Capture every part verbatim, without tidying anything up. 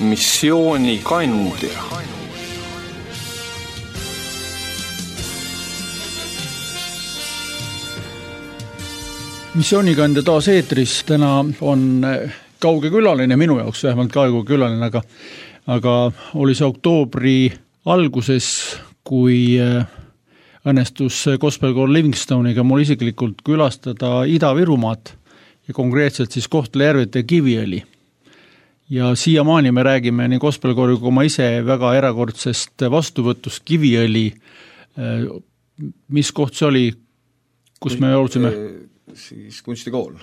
missioonikandja. Missioonikandja taas eetris. Täna on kauge külaline, minu jaoks vähemalt kauge külaline, aga, aga oli see oktoobri alguses, kui õnnestus Gospel-Koor Livingstoniga mul isiklikult külastada Ida-Virumaad ja konkreetselt siis Kohtla-Järvet ja Kiviõli. Ja siiamaani me räägime nii Gospel-Koori kui ma ise väga erakordsest vastuvõtust Kiviõli. Mis koht see oli, kus me olsime? Siis kunstikool.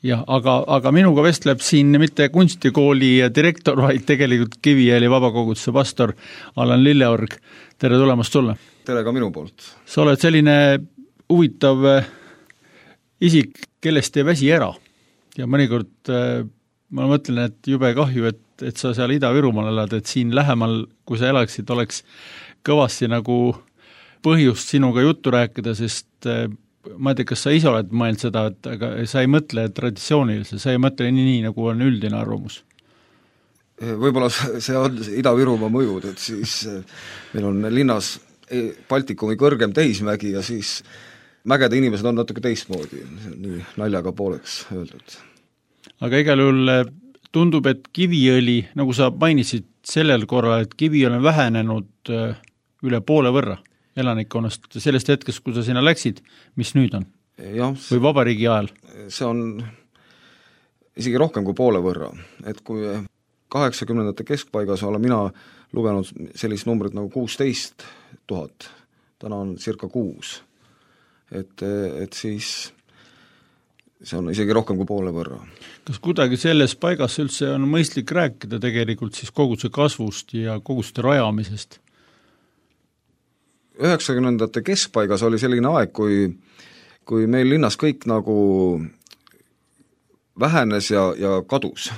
Jah, aga, aga minuga vestleb siin mitte kunstikooli direktor, vaid tegelikult Kiviõli vabakoguduse pastor Allan Lilleorg. Tere tulemast sulle. Tere ka minu poolt. Sa oled selline huvitav isik, kellest ei väsi ära. Ja mõnikord ma mõtlen, et jube kahju, et, et sa seal Ida-Virumaal elad, et siin lähemal, kui sa elaksid, oleks kõvasti nagu põhjust sinuga juttu rääkida, sest ma ei tea, kas sa ise oled mõelnud seda, et aga sa ei mõtle traditsioonilise, sa ei mõtle nii, nii nagu on üldine arvamus? Võib-olla see on Ida-Virumaa mõjud, et siis meil on linnas Baltikumi kõrgem teismägi ja siis mägede inimesed on natuke teistmoodi, nii naljaga pooleks öeldud. Aga igal juhul tundub, et Kiviõli, nagu sa mainisid sellel korral, et Kiviõli on vähenenud üle poole võrra elanikkonnast sellest hetkest, kui sa sinna läksid, mis nüüd on? Ja, või vabariigi ajal? See on isegi rohkem kui poole võrra, et kui kaheksakümnendate keskpaigas olen mina lugenud sellist numbrit nagu kuusteist tuhat, täna on circa kuus, et, et siis see on isegi rohkem kui poole võrra. Kas kuidagi selles paigas üldse on mõistlik rääkida tegelikult siis koguduse kasvust ja koguduste rajamisest? üheksakümnendate keskpaigas oli selline aeg, kui, kui meil linnas kõik nagu vähenes ja, ja kadus.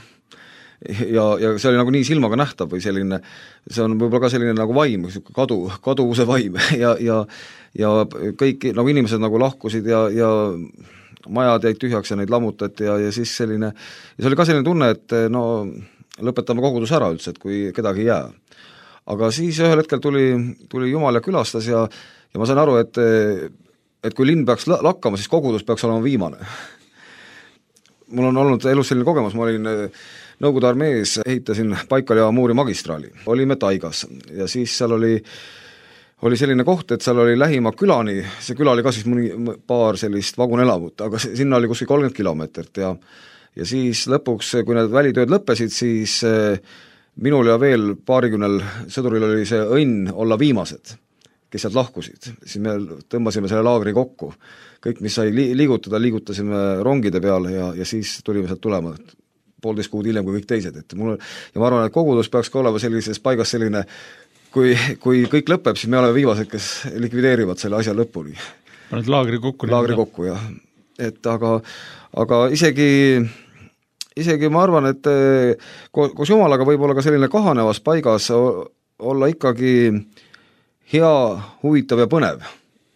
Ja, ja see oli nagu nii silmaga nähtav või selline, see on võib-olla ka selline nagu vaim, kadu, kaduvuse vaim ja, ja, ja kõik nagu inimesed nagu lahkusid ja, ja majad jäid tühjaks ja neid lammutati ja, ja siis selline, ja see oli ka selline tunne, et no lõpetame kogudus ära üldse, et kui kedagi ei jää. Aga siis ühel hetkel tuli, tuli Jumal ja külastas ja, ja ma sain aru, et, et kui linn peaks lakkama, siis kogudus peaks olema viimane. Mul on olnud elus selline kogemus, ma olin Nõukogude armees, ehitasin Baikali ja Amuri magistraali, olime Taigas ja siis seal oli, oli selline koht, et seal oli lähima külani, see küla oli ka siis mõni paar sellist vagunelamut, aga sinna oli kuskil kolmkümmend kilomeetrit ja, ja siis lõpuks, kui need välitööd lõppesid, siis minul ja veel paarikümnel sõduril oli see õnn olla viimased, kes sealt lahkusid. Siis me tõmbasime selle laagri kokku. Kõik, mis sai liigutada, liigutasime rongide peale ja, ja siis tulime sealt tulema poolteist kuud hiljem kui kõik teised. Et mul, ja ma arvan, et kogudus peaks ka olema sellises paigas selline, kui, kui kõik lõpeb, siis me oleme viimased, kes likvideerivad selle asja lõpuni. Paned laagri kokku? Laagri kokku, jah. Et aga, aga isegi isegi ma arvan, et koos Jumalaga võib olla ka selline kahanevas paigas olla ikkagi hea, huvitav ja põnev.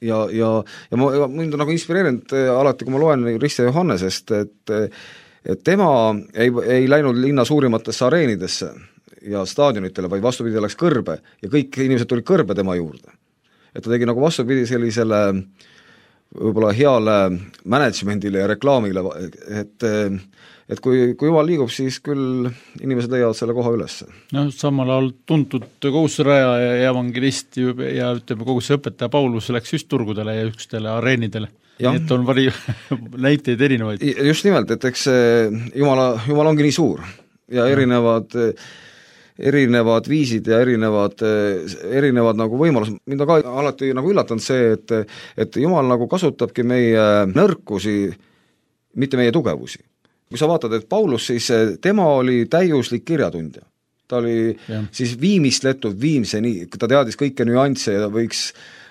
Ja, ja, ja ma, mind on nagu inspireerinud alati, kui ma loen Rist ja Johannesest, et, et tema ei, ei läinud linna suurimatesse areenidesse ja staadionitele, vaid vastupidi läks kõrbe ja kõik inimesed tulid kõrbe tema juurde. Et ta tegi nagu vastupidi sellisele võib-olla heale managementile ja reklaamile, et et kui, kui Jumal liigub, siis küll inimesed leiavad selle koha üles. No, samal ajal tuntud koguduse raja ja evangelist ja ütleme, koguduse õpetaja Paulus läks just turgudele ja ükstele areenidele. Ja. Et on vari näiteid erinevaid. Just nimelt, et eks Jumala, Jumal ongi nii suur ja erinevad, erinevad viisid ja erinevad, erinevad nagu võimalused. Mind on ka alati nagu üllatanud see, et, et Jumal nagu kasutabki meie nõrkusi, mitte meie tugevusi. Kui sa vaatad, et Paulus siis, tema oli täiuslik kirjatundja. Ta oli ja. Siis viimistletud viimseni, ta teadis kõike nüansse ja võiks,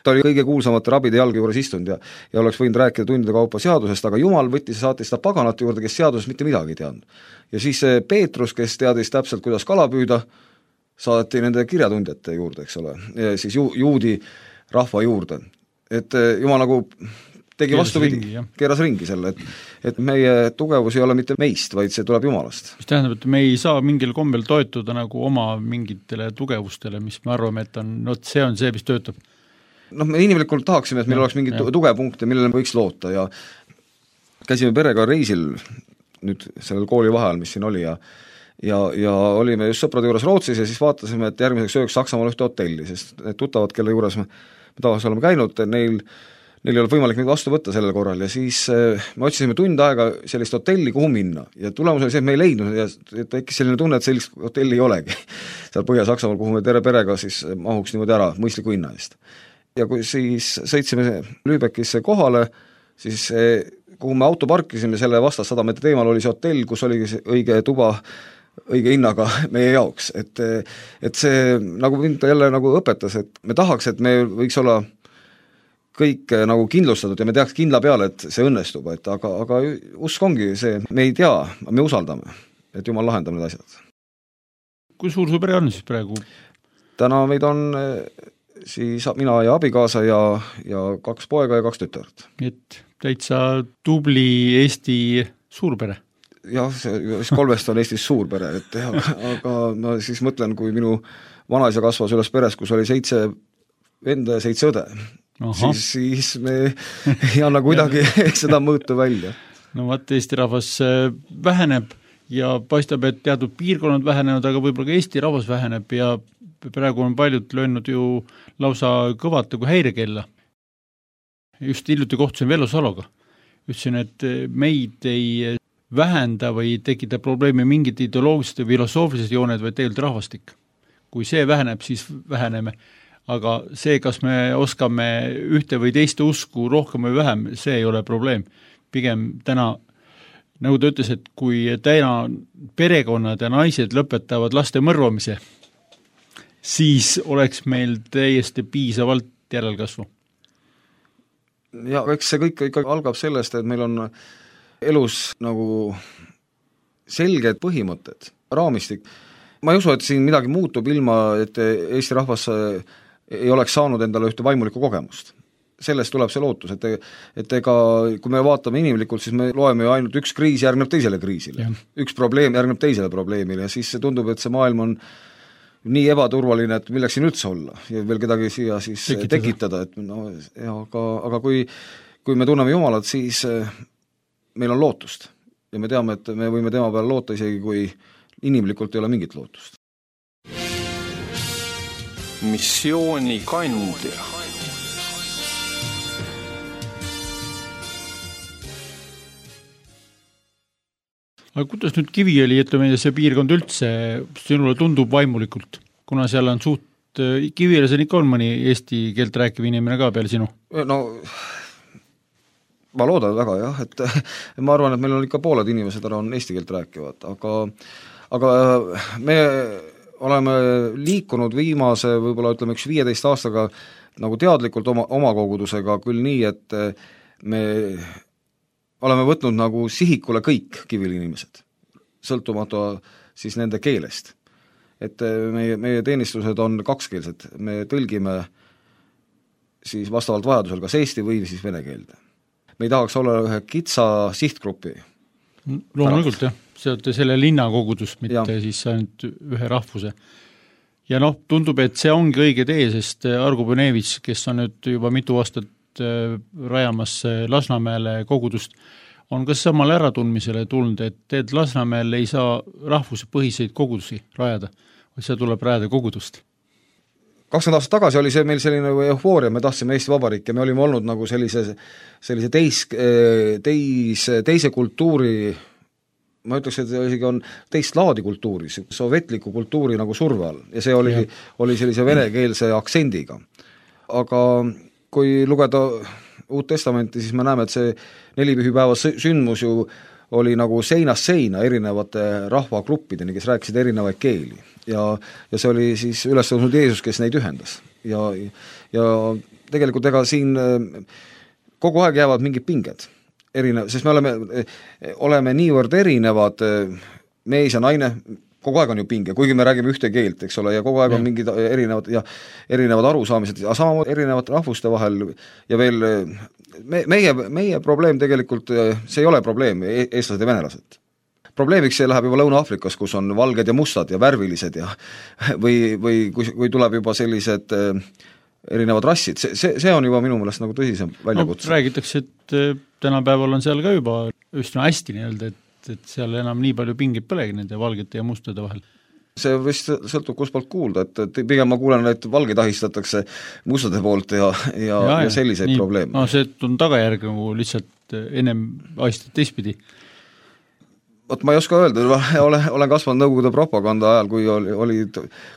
ta oli kõige kuulsamate rabide jalge juures istunud ja, ja oleks võinud rääkida tundide kaupa seadusest, aga Jumal võttis ja saatis ta paganate juurde, kes seadusest mitte midagi ei teadnud. Ja siis Peetrus, kes teadis täpselt, kuidas kala püüda, saadeti nende kirjatundjate juurde, eks ole, ja siis ju, juudi rahva juurde. Et Jumal nagu tegi vastupidi, keeras ringi selle, et, et meie tugevus ei ole mitte meist, vaid see tuleb Jumalast. Mis tähendab, et me ei saa mingil kombel toetuda nagu oma mingitele tugevustele, mis me arvame, et on, no see on see, mis töötab. Noh, me inimlikult tahaksime, et meil ja, oleks mingi tugepunkte, millele võiks loota ja käisime perega reisil nüüd sellel kooli vahel, mis siin oli ja ja, ja olime just sõprade juures Rootsis ja siis vaatasime, et järgmiseks ööks Saksamaal ühte hotelli, sest need tuttavad, kelle juures me, me tavaliselt oleme käinud, neil Neil ei ole võimalik meid vastu võtta sellel korral ja siis me otsisime tund aega sellist hotelli, kuhu minna ja tulemus oli see, et me ei leidnud ja tekkis selline tunne, et sellist hotelli ei olegi seal Põhja-Saksamaal, kuhu me tere perega siis mahuks niimoodi ära mõistliku hinna eest. Ja kui siis sõitsime Lübeckisse kohale, siis kuhu me auto parkisime, selle vastas sada meetrit eemal oli see hotell, kus oli õige tuba õige hinnaga meie jaoks, et, et see nagu mind jälle nagu õpetas, et me tahaks, et me võiks olla kõik nagu kindlustatud ja me teaks kindla peale, et see õnnestub, et aga, aga usk ongi see, me ei tea, me usaldame, et Jumal lahendab need asjad. Kui suur su pere on siis praegu? Täna meid on siis mina ja abikaasa ja, ja kaks poega ja kaks tütart. Et täitsa tubli Eesti suurpere? Jah, see kolmest on Eestis suurpere, et aga, aga ma siis mõtlen, kui minu vanaisa kasvas üles peres, kus oli seitse venda ja seitse õde, siis, siis me ei anna kuidagi seda mõõtu välja. No vaat Eesti rahvas väheneb ja paistab, et teatud piirkonnad vähenenud, aga võib-olla ka Eesti rahvas väheneb ja praegu on paljud löönud ju lausa kõvat kui häirekella. Just hiljuti kohtusin Vello Saloga. Ütlesin, et meid ei vähenda või tekita probleemi mingid ideoloogilised ja filosoofilised jooned, vaid tegelikult rahvastik. Kui see väheneb, siis väheneme. Aga see, kas me oskame ühte või teiste usku rohkem või vähem, see ei ole probleem. Pigem täna, nagu ta ütles, et kui täna perekonnad ja naised lõpetavad laste mõrvamise, siis oleks meil täiesti piisavalt järelkasvu. Ja eks see kõik ikka algab sellest, et meil on elus nagu selged põhimõtted, raamistik. Ma ei usu, et siin midagi muutub ilma, et Eesti rahvas ei oleks saanud endale ühte vaimulikku kogemust. Sellest tuleb see lootus, et, et ega kui me vaatame inimlikult, siis me loeme ju ainult üks kriis järgneb teisele kriisile. Ja. Üks probleem järgneb teisele probleemile ja siis see tundub, et see maailm on nii ebaturvaline, et milleks siin üldse olla ja veel kedagi siia siis tekitada, tekitada et no, ja, aga, aga kui, kui me tunneme Jumalat, siis meil on lootust ja me teame, et me võime tema peale loota isegi, kui inimlikult ei ole mingit lootust. Missiooni kandja. Aga kuidas nüüd Kiviõli, ütleme, see piirkond üldse sinule tundub vaimulikult, kuna seal on suht, Kiviõlis on ikka on mõni eesti keelt rääkiv inimene ka peale sinu? No ma loodan väga jah, et ma arvan, et meil on ikka pooled inimesed ära on eesti keelt rääkivad, aga, aga me oleme liikunud viimase, võib-olla ütleme üks viieteist aastaga nagu teadlikult oma, oma kogudusega küll nii, et me oleme võtnud nagu sihikule kõik Kiviõli inimesed, sõltumata siis nende keelest. Et meie, meie teenistused on kakskeelsed, me tõlgime siis vastavalt vajadusel kas eesti või siis vene keelde. Me ei tahaks olla ühe kitsa sihtgrupi. Loomulikult jah. See olete selle linnakogudus, mitte ja. Siis ainult ühe rahvuse. Ja noh, tundub, et see ongi õige tee, sest Argo Põnevits, kes on nüüd juba mitu aastat rajamas Lasnamäele kogudust, on ka samal äratundmisele tulnud, et teed Lasnamäel ei saa rahvuse põhiseid kogudusi rajada, vaid see tuleb rajada kogudust. kakskümmend aastat tagasi oli see meil selline eufooria, me tahtsime Eesti Vabariik ja me olime olnud nagu sellise, sellise teis, teis, teise kultuuri, ma ütleks, et isegi on teist laadi kultuuri, sovetliku kultuuri nagu surve all ja see oli, oli sellise venekeelse aktsendiga. Aga kui lugeda Uut Testamenti, siis me näeme, et see nelipühipäeva sündmus ju oli nagu seinast seina erinevate rahvagruppideni, kes rääkisid erinevaid keeli. Ja, ja see oli siis üles tõusnud Jeesus, kes neid ühendas. Ja, ja tegelikult ega siin kogu aeg jäävad mingid pinged. Erinev, sest me oleme, oleme niivõrd erinevad, mees ja naine, kogu aeg on ju pinge, kuigi me räägime ühte keelt, eks ole, ja kogu aeg on mingid erinevad, ja erinevad arusaamised, aga samamoodi erinevad rahvuste vahel ja veel me, meie, meie probleem tegelikult, see ei ole probleem, eestlased ja venelased. Probleemiks see läheb juba Lõuna-Aafrikas, kus on valged ja mustad ja värvilised ja või, või kui, kui tuleb juba sellised erinevad rassid, see, see, see on juba minu meelest nagu tõsisem väljakutse. No, räägitakse, et tänapäeval on seal ka juba üsna hästi nii-öelda, et, et seal enam nii palju pingid põlegi nende valgete ja mustade vahel. See vist sõltub kus poolt kuulda, et, et pigem ma kuulen, et valgeid ahistatakse mustade poolt ja, ja, ja, ja selliseid nii, probleeme. No see on tagajärg nagu lihtsalt ennem ahistad teistpidi. Vot ma ei oska öelda, olen, olen kasvanud Nõukogude propaganda ajal, kui oli, oli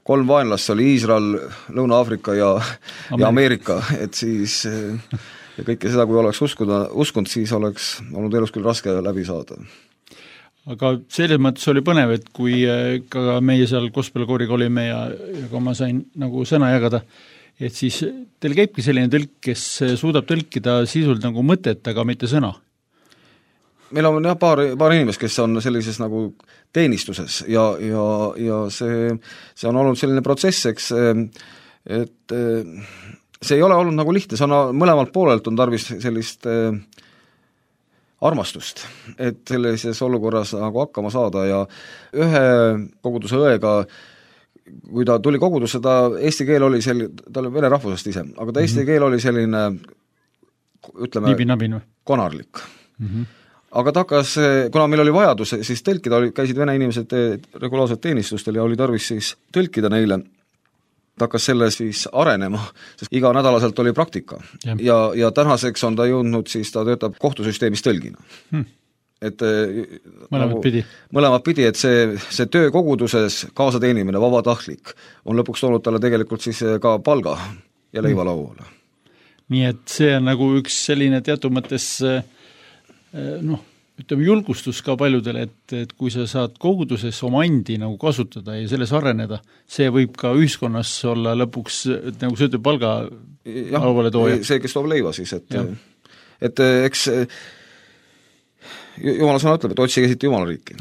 kolm vaenlast, oli Iisrael, Lõuna-Aafrika ja Ameerika. ja Ameerika, et siis ja kõike seda, kui oleks uskuda, uskunud, siis oleks olnud elus küll raske läbi saada. Aga selles mõttes oli põnev, et kui ka meie seal gospelkooriga olime ja, ja kui ma sain nagu sõna jagada, et siis teil käibki selline tõlk, kes suudab tõlkida sisult nagu mõtet, aga mitte sõna. Meil on jah paar, paar inimest, kes on sellises nagu teenistuses ja, ja, ja see, see on olnud selline protsess, eks, et see ei ole olnud nagu lihtne, see on mõlemalt poolelt on tarvis sellist armastust, et sellises olukorras nagu hakkama saada ja ühe koguduse õega, kui ta tuli kogudusse, ta eesti keel oli selline, ta oli vene rahvusest ise, aga ta eesti mm-hmm. keel oli selline, ütleme, Nibin, konarlik. Mm-hmm. Aga ta hakkas, kuna meil oli vajadus, siis tõlkida, käisid vene inimesed regulaarselt teenistustel ja oli tarvis siis tõlkida neile, ta hakkas selle siis arenema, sest iga nädalaselt oli praktika ja, ja, ja tänaseks on ta jõudnud, siis ta töötab kohtusüsteemis tõlgina hmm.. et mõlemad nagu, pidi, mõlemad pidi, et see, see töö koguduses kaasateenimine, vabatahtlik, on lõpuks toonud talle tegelikult siis ka palga ja leiva hmm. lauale. Nii et see on nagu üks selline teatud mõttes noh, ütleme julgustus ka paljudele, et, et kui sa saad koguduses oma andi nagu kasutada ja selles areneda, see võib ka ühiskonnas olla lõpuks, et nagu see ütleb palga lauale tooja. See, kes toob leiva siis, et, et eks Jumala sõna ütleb, et otsige siit Jumala riiki.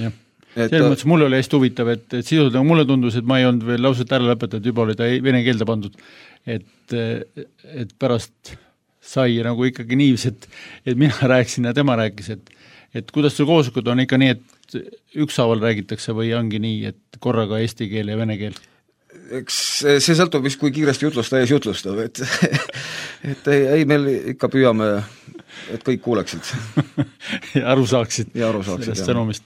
Selles mõttes mulle oli hästi huvitav, et, et sisult nagu mulle tundus, et ma ei olnud veel lauset ära lõpetatud, juba oli ta vene keelde pandud, et, et pärast sai nagu ikkagi niivis, et, et mina rääkisin ja tema rääkis, et et kuidas sul kooslikud on ikka nii, et ükshaaval räägitakse või ongi nii, et korraga eesti keel ja vene keel? Eks see sõltub vist, kui kiiresti jutlusta ees jutlustab, et, et ei, ei, meil ikka püüame, et kõik kuuleksid. ja aru saaksid, ja aru saaksid sellest sõnumist.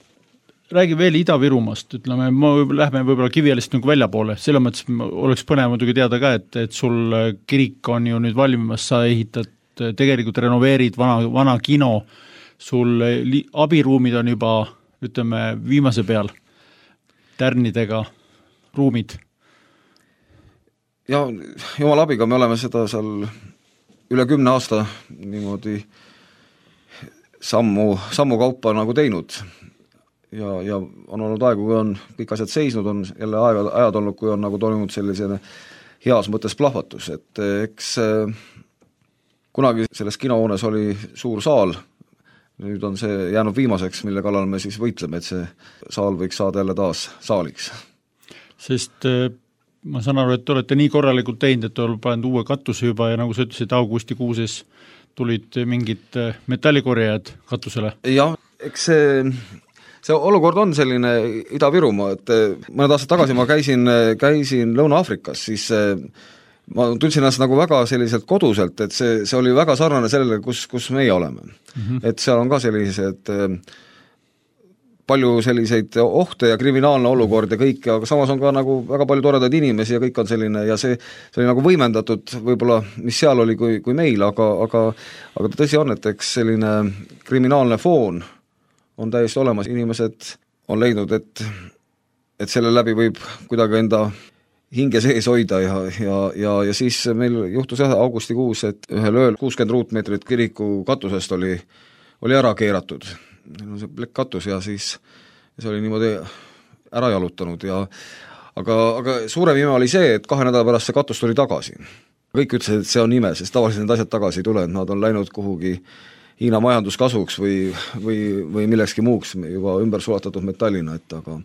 Räägi veel Ida-Virumaast, ütleme, ma lähme võib-olla Kivialist nagu välja poole, selle mõttes oleks põnev muidugi teada ka, et, et sul kirik on ju nüüd valmimas, sa ehitad, tegelikult renoveerid vana, vana kino, sul li, abiruumid on juba, ütleme, viimase peal, tärnidega ruumid. Ja Jumala abiga me oleme seda seal üle kümne aasta niimoodi sammu, sammu kaupa nagu teinud ja, ja on olnud aegu, kui on kõik asjad seisnud, on jälle aega, ajad olnud, kui on nagu toimunud sellisene heas mõttes plahvatus, et eks kunagi selles kinohoones oli suur saal, nüüd on see jäänud viimaseks, mille kallal me siis võitleme, et see saal võiks saada jälle taas saaliks. Sest ma saan aru, et te olete nii korralikult teinud, et olete pannud uue katuse juba ja nagu sa ütlesid, augustikuuses tulid mingid metallikorjajad katusele. Jah, eks see, see olukord on selline Ida-Virumaa, et mõned aastad tagasi ma käisin, käisin Lõuna-Aafrikas, siis ma tundsin ennast nagu väga selliselt koduselt, et see, see oli väga sarnane sellele, kus, kus meie oleme. Mm-hmm. Et seal on ka sellised palju selliseid ohte ja kriminaalne olukord ja kõik, aga samas on ka nagu väga palju toredaid inimesi ja kõik on selline ja see, see oli nagu võimendatud võib-olla, mis seal oli kui, kui meil, aga, aga, aga tõsi on, et eks selline kriminaalne foon on täiesti olemas, inimesed on leidnud, et, et selle läbi võib kuidagi enda hinge sees hoida ja, ja, ja, ja siis meil juhtus jah augustikuus, et ühel ööl kuuskümmend ruutmeetrit kiriku katusest oli, oli ära keeratud. Meil on see plekkkatus ja siis see oli niimoodi ära jalutanud ja aga, aga suurem ime oli see, et kahe nädala pärast see katus tuli tagasi. Kõik ütlesid, et see on ime, sest tavaliselt need asjad tagasi ei tule, et nad on läinud kuhugi Hiina majanduskasuks või, või, või millekski muuks juba ümber sulatatud metallina, et aga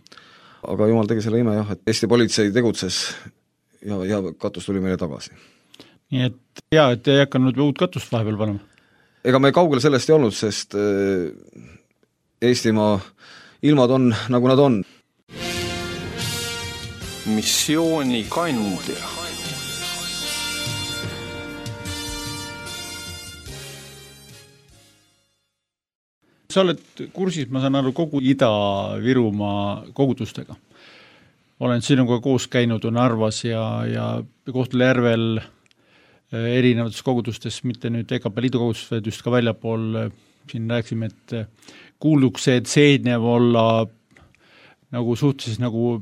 aga jumal tegi selle ime jah, et Eesti politsei tegutses ja, ja katus tuli meile tagasi. Nii et hea, et ei hakanud uut katust vahepeal panema? ega me kaugel sellest ei olnud, sest Eestimaa ilmad on, nagu nad on. Missioonikandja. Sa oled kursis, ma saan aru, kogu Ida-Virumaa kogudustega. Olen sinuga koos käinud Narvas ja, ja Kohtla-Järvel erinevates kogudustes, mitte nüüd E K P Liidu kogudustes, vaid just ka väljapool. Siin rääksime, et kuuluksed seednev olla nagu suhteliselt nagu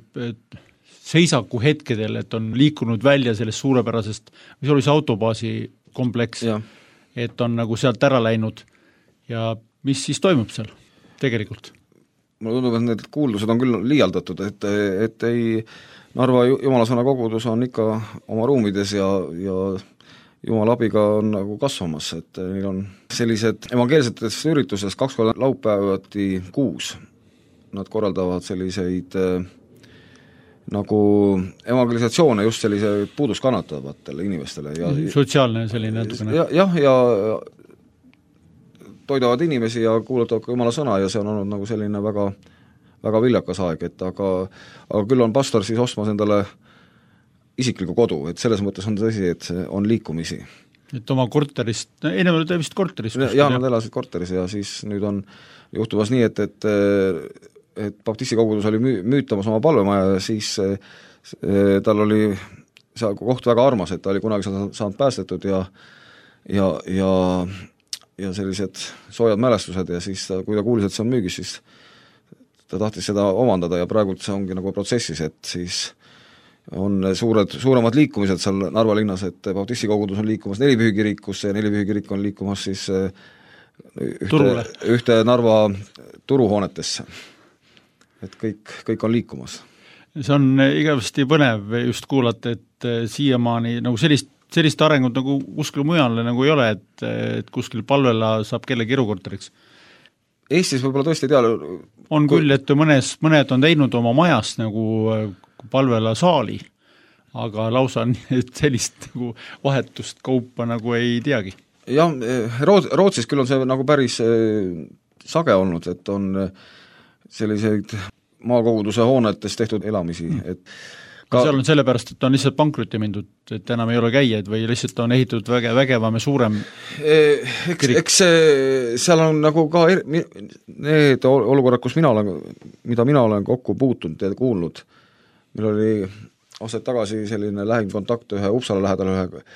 seisaku hetkedel, et on liikunud välja sellest suurepärasest, mis oli see autobaasi kompleks, ja. Et on nagu sealt ära läinud ja mis siis toimub seal tegelikult? Mulle tundub, et need kuuldused on küll liialdatud, et, et ei, Narva Jumalasõna kogudus on ikka oma ruumides ja, ja Jumala abiga on nagu kasvamas, et neil on sellised evangeelsetes ürituses kaks korda laupäevati kuus. Nad korraldavad selliseid nagu evangelisatsioone just sellise puudust kannatavatele inimestele. Ja, sotsiaalne selline natukene. Ja, jah, ja toidavad inimesi ja kuulutavad ka Jumala sõna ja see on olnud nagu selline väga, väga viljakas aeg, et aga, aga küll on pastor siis ostmas endale isikliku kodu, et selles mõttes on tõsi, et on liikumisi. Et oma korterist, ennem oli ta vist korteris? Jah, nad elasid korteris ja siis nüüd on juhtumas nii, et, et, et baptisti kogudus oli müütamas oma palvemaja ja siis tal oli see koht väga armas, et ta oli kunagi saanud päästetud ja, ja, ja ja sellised soojad mälestused ja siis ta, kui ta kuulis, et see on müügis, siis ta tahtis seda omandada ja praegult see ongi nagu protsessis, et siis on suured, suuremad liikumised seal Narva linnas, et baptisti kogudus on liikumas Nelipühikirikusse ja Nelipühikirik on liikumas siis ühte, ühte Narva turuhoonetesse. Et kõik, kõik on liikumas. See on igavesti põnev just kuulata, et siiamaani nagu sellist sellist arengut nagu kuskil mujal nagu ei ole, et, et kuskil palvela saab kellegi erukorteriks. Eestis võib-olla tõesti tea. On kui... küll, et mõnes, mõned on teinud oma majast nagu palvela saali, aga lausa sellist nagu vahetust kaupa nagu ei teagi. Jah, Rootsis küll on see nagu päris sage olnud, et on selliseid maakoguduse hoonetes tehtud elamisi, et Ka... seal on sellepärast, et on lihtsalt pankrutti mindud, et enam ei ole käijaid või lihtsalt on ehitatud väge, vägevam ja suurem eks, eks seal on nagu ka er, need olukorrad, kus mina olen, mida mina olen kokku puutunud ja kuulnud, meil oli aastaid tagasi selline lähim kontakt ühe Uppsala lähedal ühe,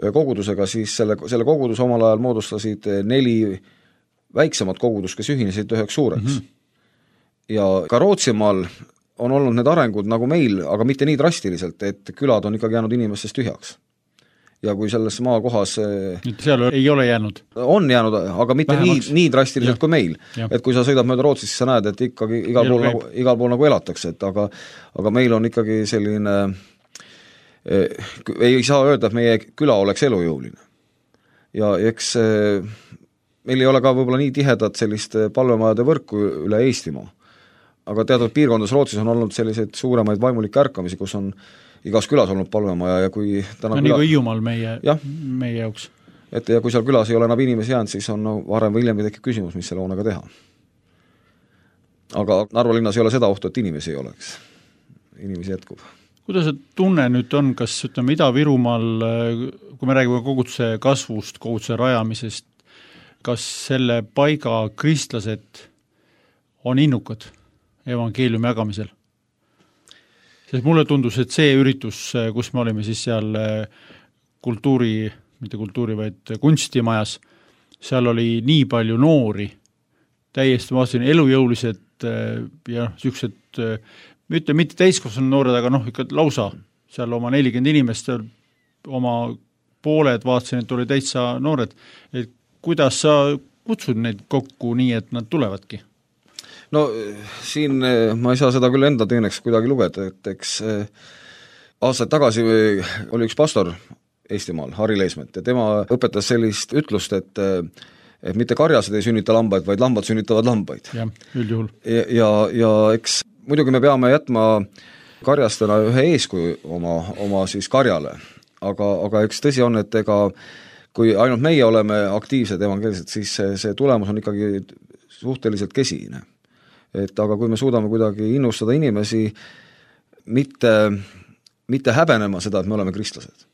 ühe kogudusega, siis selle, selle kogudus omal ajal moodustasid neli väiksemat kogudust, kes ühinesid üheks suureks. Mm-hmm. Ja ka Rootsimaal on olnud need arengud nagu meil, aga mitte nii drastiliselt, et külad on ikkagi jäänud inimestest tühjaks. Ja kui selles maakohas seal ei ole jäänud? On jäänud, aga mitte Vähemaks. nii, nii drastiliselt ja. kui meil. Ja. Et kui sa sõidad mööda Rootsis, siis sa näed, et ikkagi igal pool, nagu, igal pool nagu elatakse, et aga, aga meil on ikkagi selline eh, ei saa öelda, et meie küla oleks elujõuline. Ja eks eh, meil ei ole ka võib-olla nii tihedat sellist palvemajade võrku üle Eestimaa. Aga teatud piirkondades Rootsis on olnud selliseid suuremaid vaimulikke ärkamisi, kus on igas külas olnud palvemaja ja kui täna no, küla... nii kui Hiiumaal meie, meie jaoks. Et ja kui seal külas ei ole enam inimesi jäänud, siis on no, varem või hiljem tekib küsimus, mis selle hoonega teha. Aga Narva linnas ei ole seda ohtu, et inimesi ei oleks. Inimesi jätkub. Kuidas see tunne nüüd on, kas ütleme Ida-Virumaal, kui me räägime koguduse kasvust, koguduse rajamisest, kas selle paiga kristlased on innukad evangeeliumi jagamisel? Sest mulle tundus, et see üritus, kus me olime siis seal kultuuri, mitte kultuuri, vaid kunstimajas, seal oli nii palju noori, täiesti vaatasin elujõulised ja niisugused, mitte, mitte täiskasvanud noored, aga noh, ikka lausa seal oma nelikümmend inimest, oma pooled vaatasin, et oli täitsa noored. Et kuidas sa kutsud neid kokku nii, et nad tulevadki? No siin ma ei saa seda küll enda teeneks kuidagi lugeda, et eks aastaid tagasi oli üks pastor Eestimaal, Harri Leesmet, ja tema õpetas sellist ütlust, et, et mitte karjased ei sünnita lambaid, vaid lambad sünnitavad lambaid. Jah, üldjuhul. Ja, ja, ja eks muidugi me peame jätma karjastena ühe eeskuju oma, oma siis karjale, aga, aga eks tõsi on, et ega kui ainult meie oleme aktiivsed evangeelsed, siis see, see tulemus on ikkagi suhteliselt kesine. Et aga kui me suudame kuidagi innustada inimesi mitte, mitte häbenema seda, et me oleme kristlased.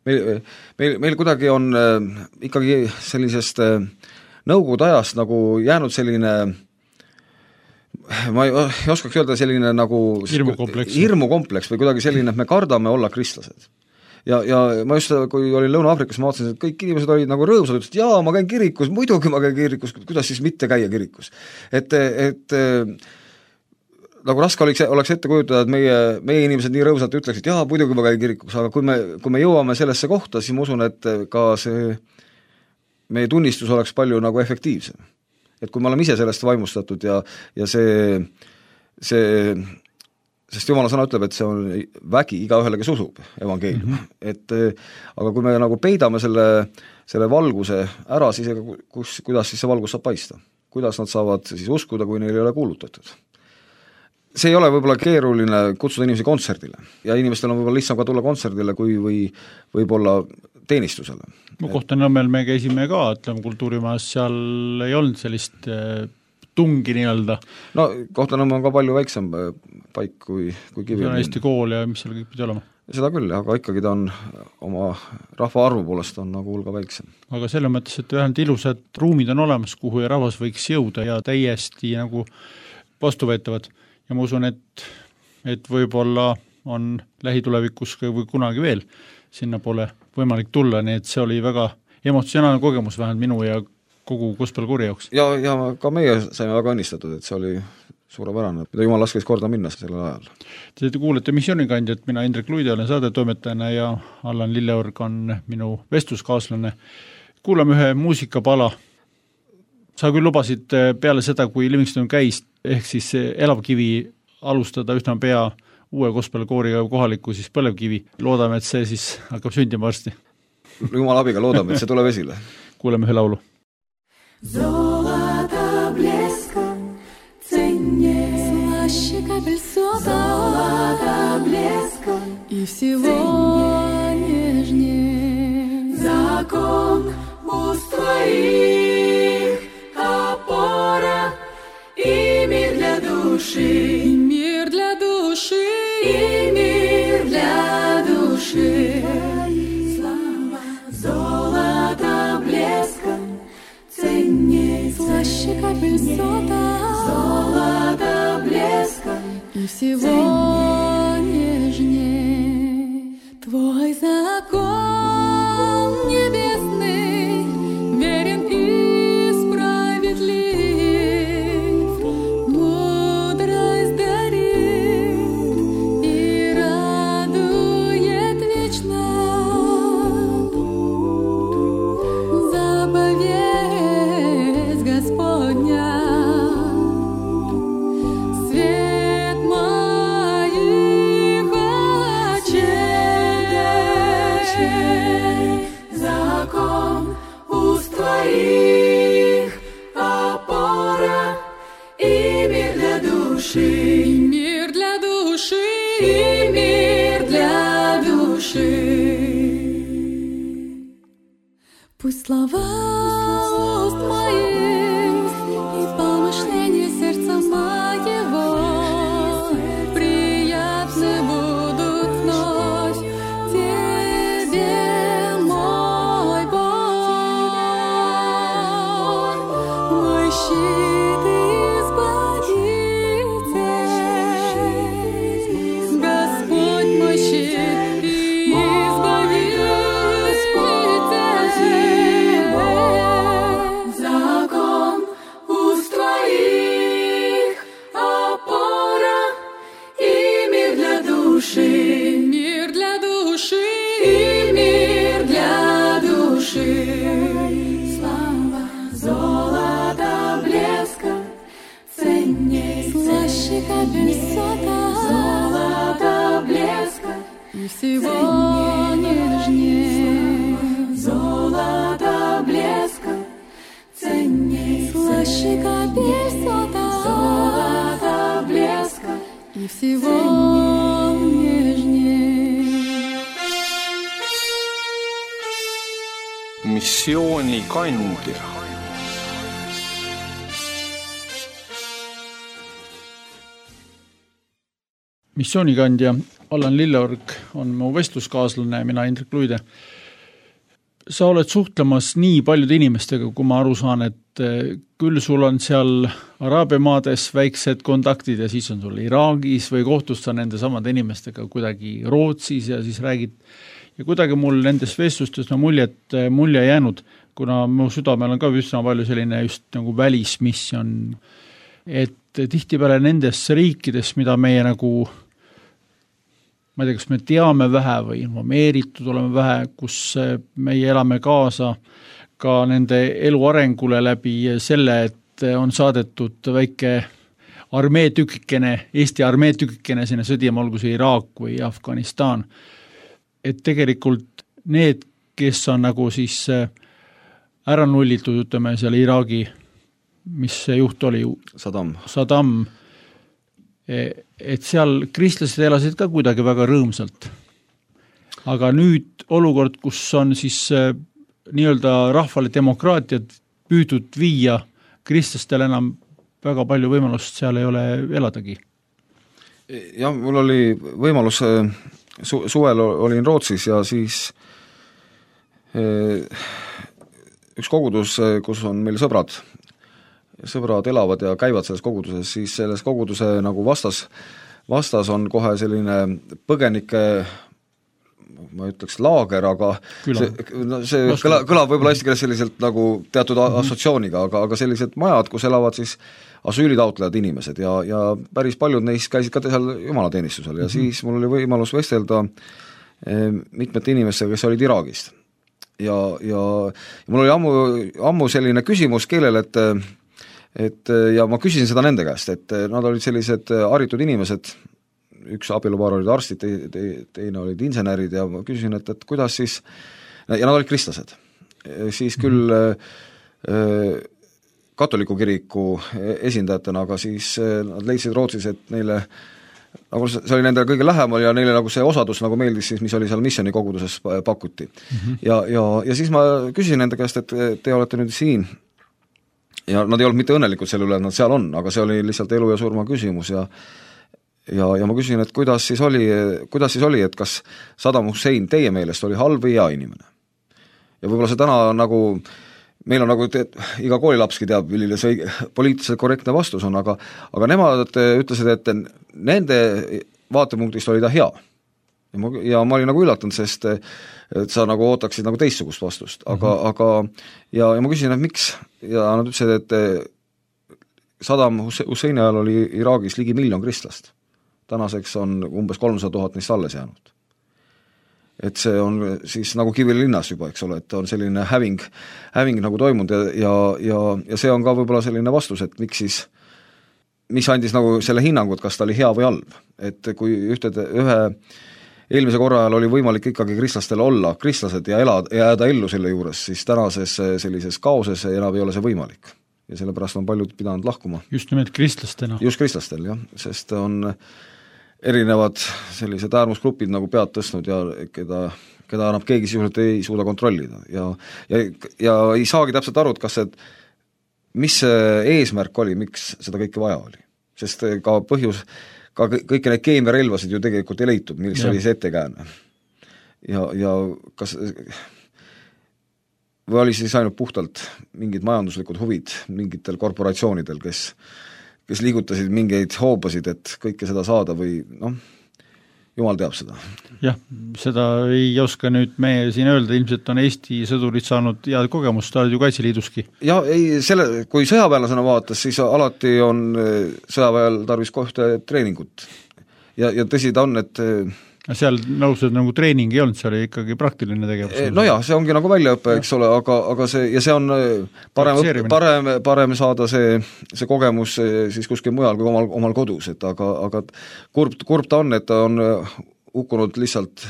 Meil, meil, meil kuidagi on ikkagi sellisest nõukogude ajast nagu jäänud selline, ma ei oskaks öelda, selline nagu hirmukompleks. hirmukompleks või kuidagi selline, et me kardame olla kristlased. Ja, ja ma just, kui olin Lõuna-Aafrikas, ma vaatasin, et kõik inimesed olid nagu rõõmsad, ütlesid, jaa, ma käin kirikus, muidugi ma käin kirikus, kuidas siis mitte käia kirikus. Et, et nagu raske oleks, oleks ette kujutada, et meie, meie inimesed nii rõõmsalt ütleksid, jaa, muidugi ma käin kirikus, aga kui me, kui me jõuame sellesse kohta, siis ma usun, et ka see meie tunnistus oleks palju nagu efektiivsem. Et kui me oleme ise sellest vaimustatud ja, ja see, see sest Jumala sõna ütleb, et see on vägi igaühele, kes usub evangeelium. Mm -hmm. Et aga kui me nagu peidame selle, selle valguse ära, siis ega kus, kuidas siis see valgus saab paista? Kuidas nad saavad siis uskuda, kui neil ei ole kuulutatud? See ei ole võib-olla keeruline kutsuda inimesi kontserdile ja inimestel on võib-olla lihtsam ka tulla kontserdile kui või võib-olla teenistusele. Ma Kohtla-Nõmmel me käisime ka, ütleme kultuurimajas, seal ei olnud sellist tungi nii-öelda. No Kohtla-Nõmme on ka palju väiksem paik kui, kui Kivi. See on Eesti kool ja mis seal kõik pidi olema? Seda küll, aga ikkagi ta on oma rahva arvu poolest on nagu hulga väiksem. Aga selle mõttes, et vähemalt ilusad ruumid on olemas, kuhu ja rahvas võiks jõuda ja täiesti nagu vastuvõetavad. Ja ma usun, et, et võib-olla on lähitulevikus või kunagi veel sinna pole võimalik tulla, nii et see oli väga emotsionaalne kogemus vähemalt minu ja kogu gospelkoori jaoks. Ja, ja ka meie saime väga õnnistatud, et see oli suurepärane, mida Jumal laskes korda minna sellel ajal. Te kuulete missioonikandjat, mina Indrek Luide olen saadetoimetajana ja Allan Lilleorg on minu vestluskaaslane. Kuulame ühe muusikapala. Sa küll lubasid peale seda, kui Livingston käis, ehk siis Elavkivi alustada üsna pea uue gospelkooriga kohaliku siis Põlevkivi. Loodame, et see siis hakkab sündima varsti. Jumala abiga loodame, et see tuleb esile. Kuuleme ühe laulu. Золото блеска ценнее, слаще капель сота, золото блеска и всего нежнее. Закон уст твоих опора и мир для души, и мир для души, и мир для души. Слава золото блеска ценней, слаще капель сота, золото блеска и всего нежней. Твой закон небесный верен и справедлив, мудрость дарит и радует вечно. Заповедь Господня, свет моих очей, закон уст твоих опора и мир для души, и мир для души, и мир для души. Пусть слова уст моих и помышления сердца моего приятны будут вновь тебе, мой Бог, мой щит и избавитель, Господь мой щит и избавитель. Закон уст твоих опора и мир для души, мир для души, и мир для души. Слава золото блеска ценней, слаще капель сота, золото блеска и всего нежнее. Золото блеска ценней, слаще капель сота, золото блеска и всего нежнее. missioonikandja. Missioonikandja Allan Lilleorg on mu vestluskaaslane, mina Indrek Luide. Sa oled suhtlemas nii paljude inimestega, kui ma aru saan, et küll sul on seal Araabia maades väiksed kontaktid ja siis on sul Iraagis või kohtud sa nende samade inimestega kuidagi Rootsis ja siis räägid. Ja kuidagi mul nendes vestlustes no mulje, et mulje jäänud, kuna mu südamel on ka üsna palju selline just nagu välismisjon, et tihtipeale nendes riikides, mida meie nagu ma ei tea, kas me teame vähe või informeeritud oleme vähe, kus meie elame kaasa ka nende elu arengule läbi selle, et on saadetud väike armeetükikene, Eesti armeetükikene sinna sõdima, olgu see Iraak või Afganistan. Et tegelikult need, kes on nagu siis ära nullitud, ütleme seal Iraagi, mis see juht oli? Saddam. Saddam. Et seal kristlased elasid ka kuidagi väga rõõmsalt. Aga nüüd olukord, kus on siis nii-öelda rahvale demokraatiat püüdud viia, kristlastel enam väga palju võimalust seal ei ole eladagi. Ja mul oli võimalus, su- suvel olin Rootsis ja siis üks kogudus, kus on meil sõbrad, sõbrad elavad ja käivad selles koguduses, siis selles koguduse nagu vastas, vastas on kohe selline põgenike, ma ütleks laager, aga Küla. see, no see kõla, kõlab võib-olla eesti keeles selliselt nagu teatud mm-hmm. assotsiooniga, aga, aga sellised majad, kus elavad siis asüülitaotlejad inimesed ja, ja päris paljud neist käisid ka seal jumalateenistusel ja mm-hmm. siis mul oli võimalus vestelda eh, mitmete inimestega, kes olid Iraagist. Ja, ja, ja mul oli ammu, ammu selline küsimus keelel, et et ja ma küsisin seda nende käest, et nad olid sellised haritud inimesed, üks abielupaar olid arstid, te, te, teine olid insenerid ja ma küsisin, et, et kuidas siis, ja nad olid kristlased, siis küll äh, katoliku kiriku esindajatena, aga siis nad leidsid Rootsis, et neile, nagu see oli nendele kõige lähemal ja neile nagu see osadus nagu meeldis siis, mis oli seal missiooni koguduses pakuti. Mm-hmm. Ja, ja, ja siis ma küsisin nende käest, et te olete nüüd siin, ja nad ei olnud mitte õnnelikud selle üle, et nad seal on, aga see oli lihtsalt elu ja surma küsimus ja ja, ja ma küsisin, et kuidas siis oli, kuidas siis oli, et kas Saddam Hussein teie meelest oli halb või hea inimene. Ja võib-olla see täna nagu, meil on nagu, et iga koolilapski teab, milline see poliitiliselt korrektne vastus on, aga, aga nemad ütlesid, et nende vaatepunktist oli ta hea. Ja ma, ja ma olin nagu üllatunud, sest et sa nagu ootaksid nagu teistsugust vastust, aga, mm-hmm. aga ja, ja ma küsisin, et miks, ja nad ütlesid, et Saddam Husseini ajal oli Iraagis ligi miljon kristlast. Tänaseks on umbes kolmsada tuhat neist alles jäänud. Et see on siis nagu Kivilinnas juba, eks ole, et on selline häving, häving nagu toimunud ja, ja, ja, ja see on ka võib-olla selline vastus, et miks siis, mis andis nagu selle hinnangu, et kas ta oli hea või halb. Et kui ühte, ühe eelmise korra ajal oli võimalik ikkagi kristlastel olla kristlased ja elada, jääda ellu selle juures, siis tänases sellises kaoses enam ei ole see võimalik. Ja sellepärast on paljud pidanud lahkuma. Just nimelt kristlastena. Just kristlastel, jah, sest on erinevad sellised äärmusgrupid nagu pead tõstnud ja keda, keda enam keegi sisuliselt ei suuda kontrollida. Ja, ja, ja ei saagi täpselt aru, kas see, mis see eesmärk oli, miks seda kõike vaja oli. Sest ka põhjus, ka kõiki neid keemiarelvasid ju tegelikult ei leitud, milles oli see ettekääne. Ja, ja kas või oli siis ainult puhtalt mingid majanduslikud huvid mingitel korporatsioonidel, kes, kes liigutasid mingeid hoobasid, et kõike seda saada või noh, jumal teab seda. Jah, seda ei oska nüüd meie siin öelda, ilmselt on Eesti sõdurid saanud head kogemust, ta olid ju Kaitseliiduski. Ja ei, selle, kui sõjaväelasena vaatas, siis alati on sõjaväel tarvis kohta treeningut. Ja, ja tõsi ta on, et seal nõused nagu treening ei olnud, see oli ikkagi praktiline tegevus. No jah, see ongi nagu väljaõpe, eks ole, aga, aga see, ja see on parem, parem, parem saada see, see kogemus siis kuskil mujal kui omal, omal kodus, et aga, aga kurb, kurb ta on, et ta on hukkunud lihtsalt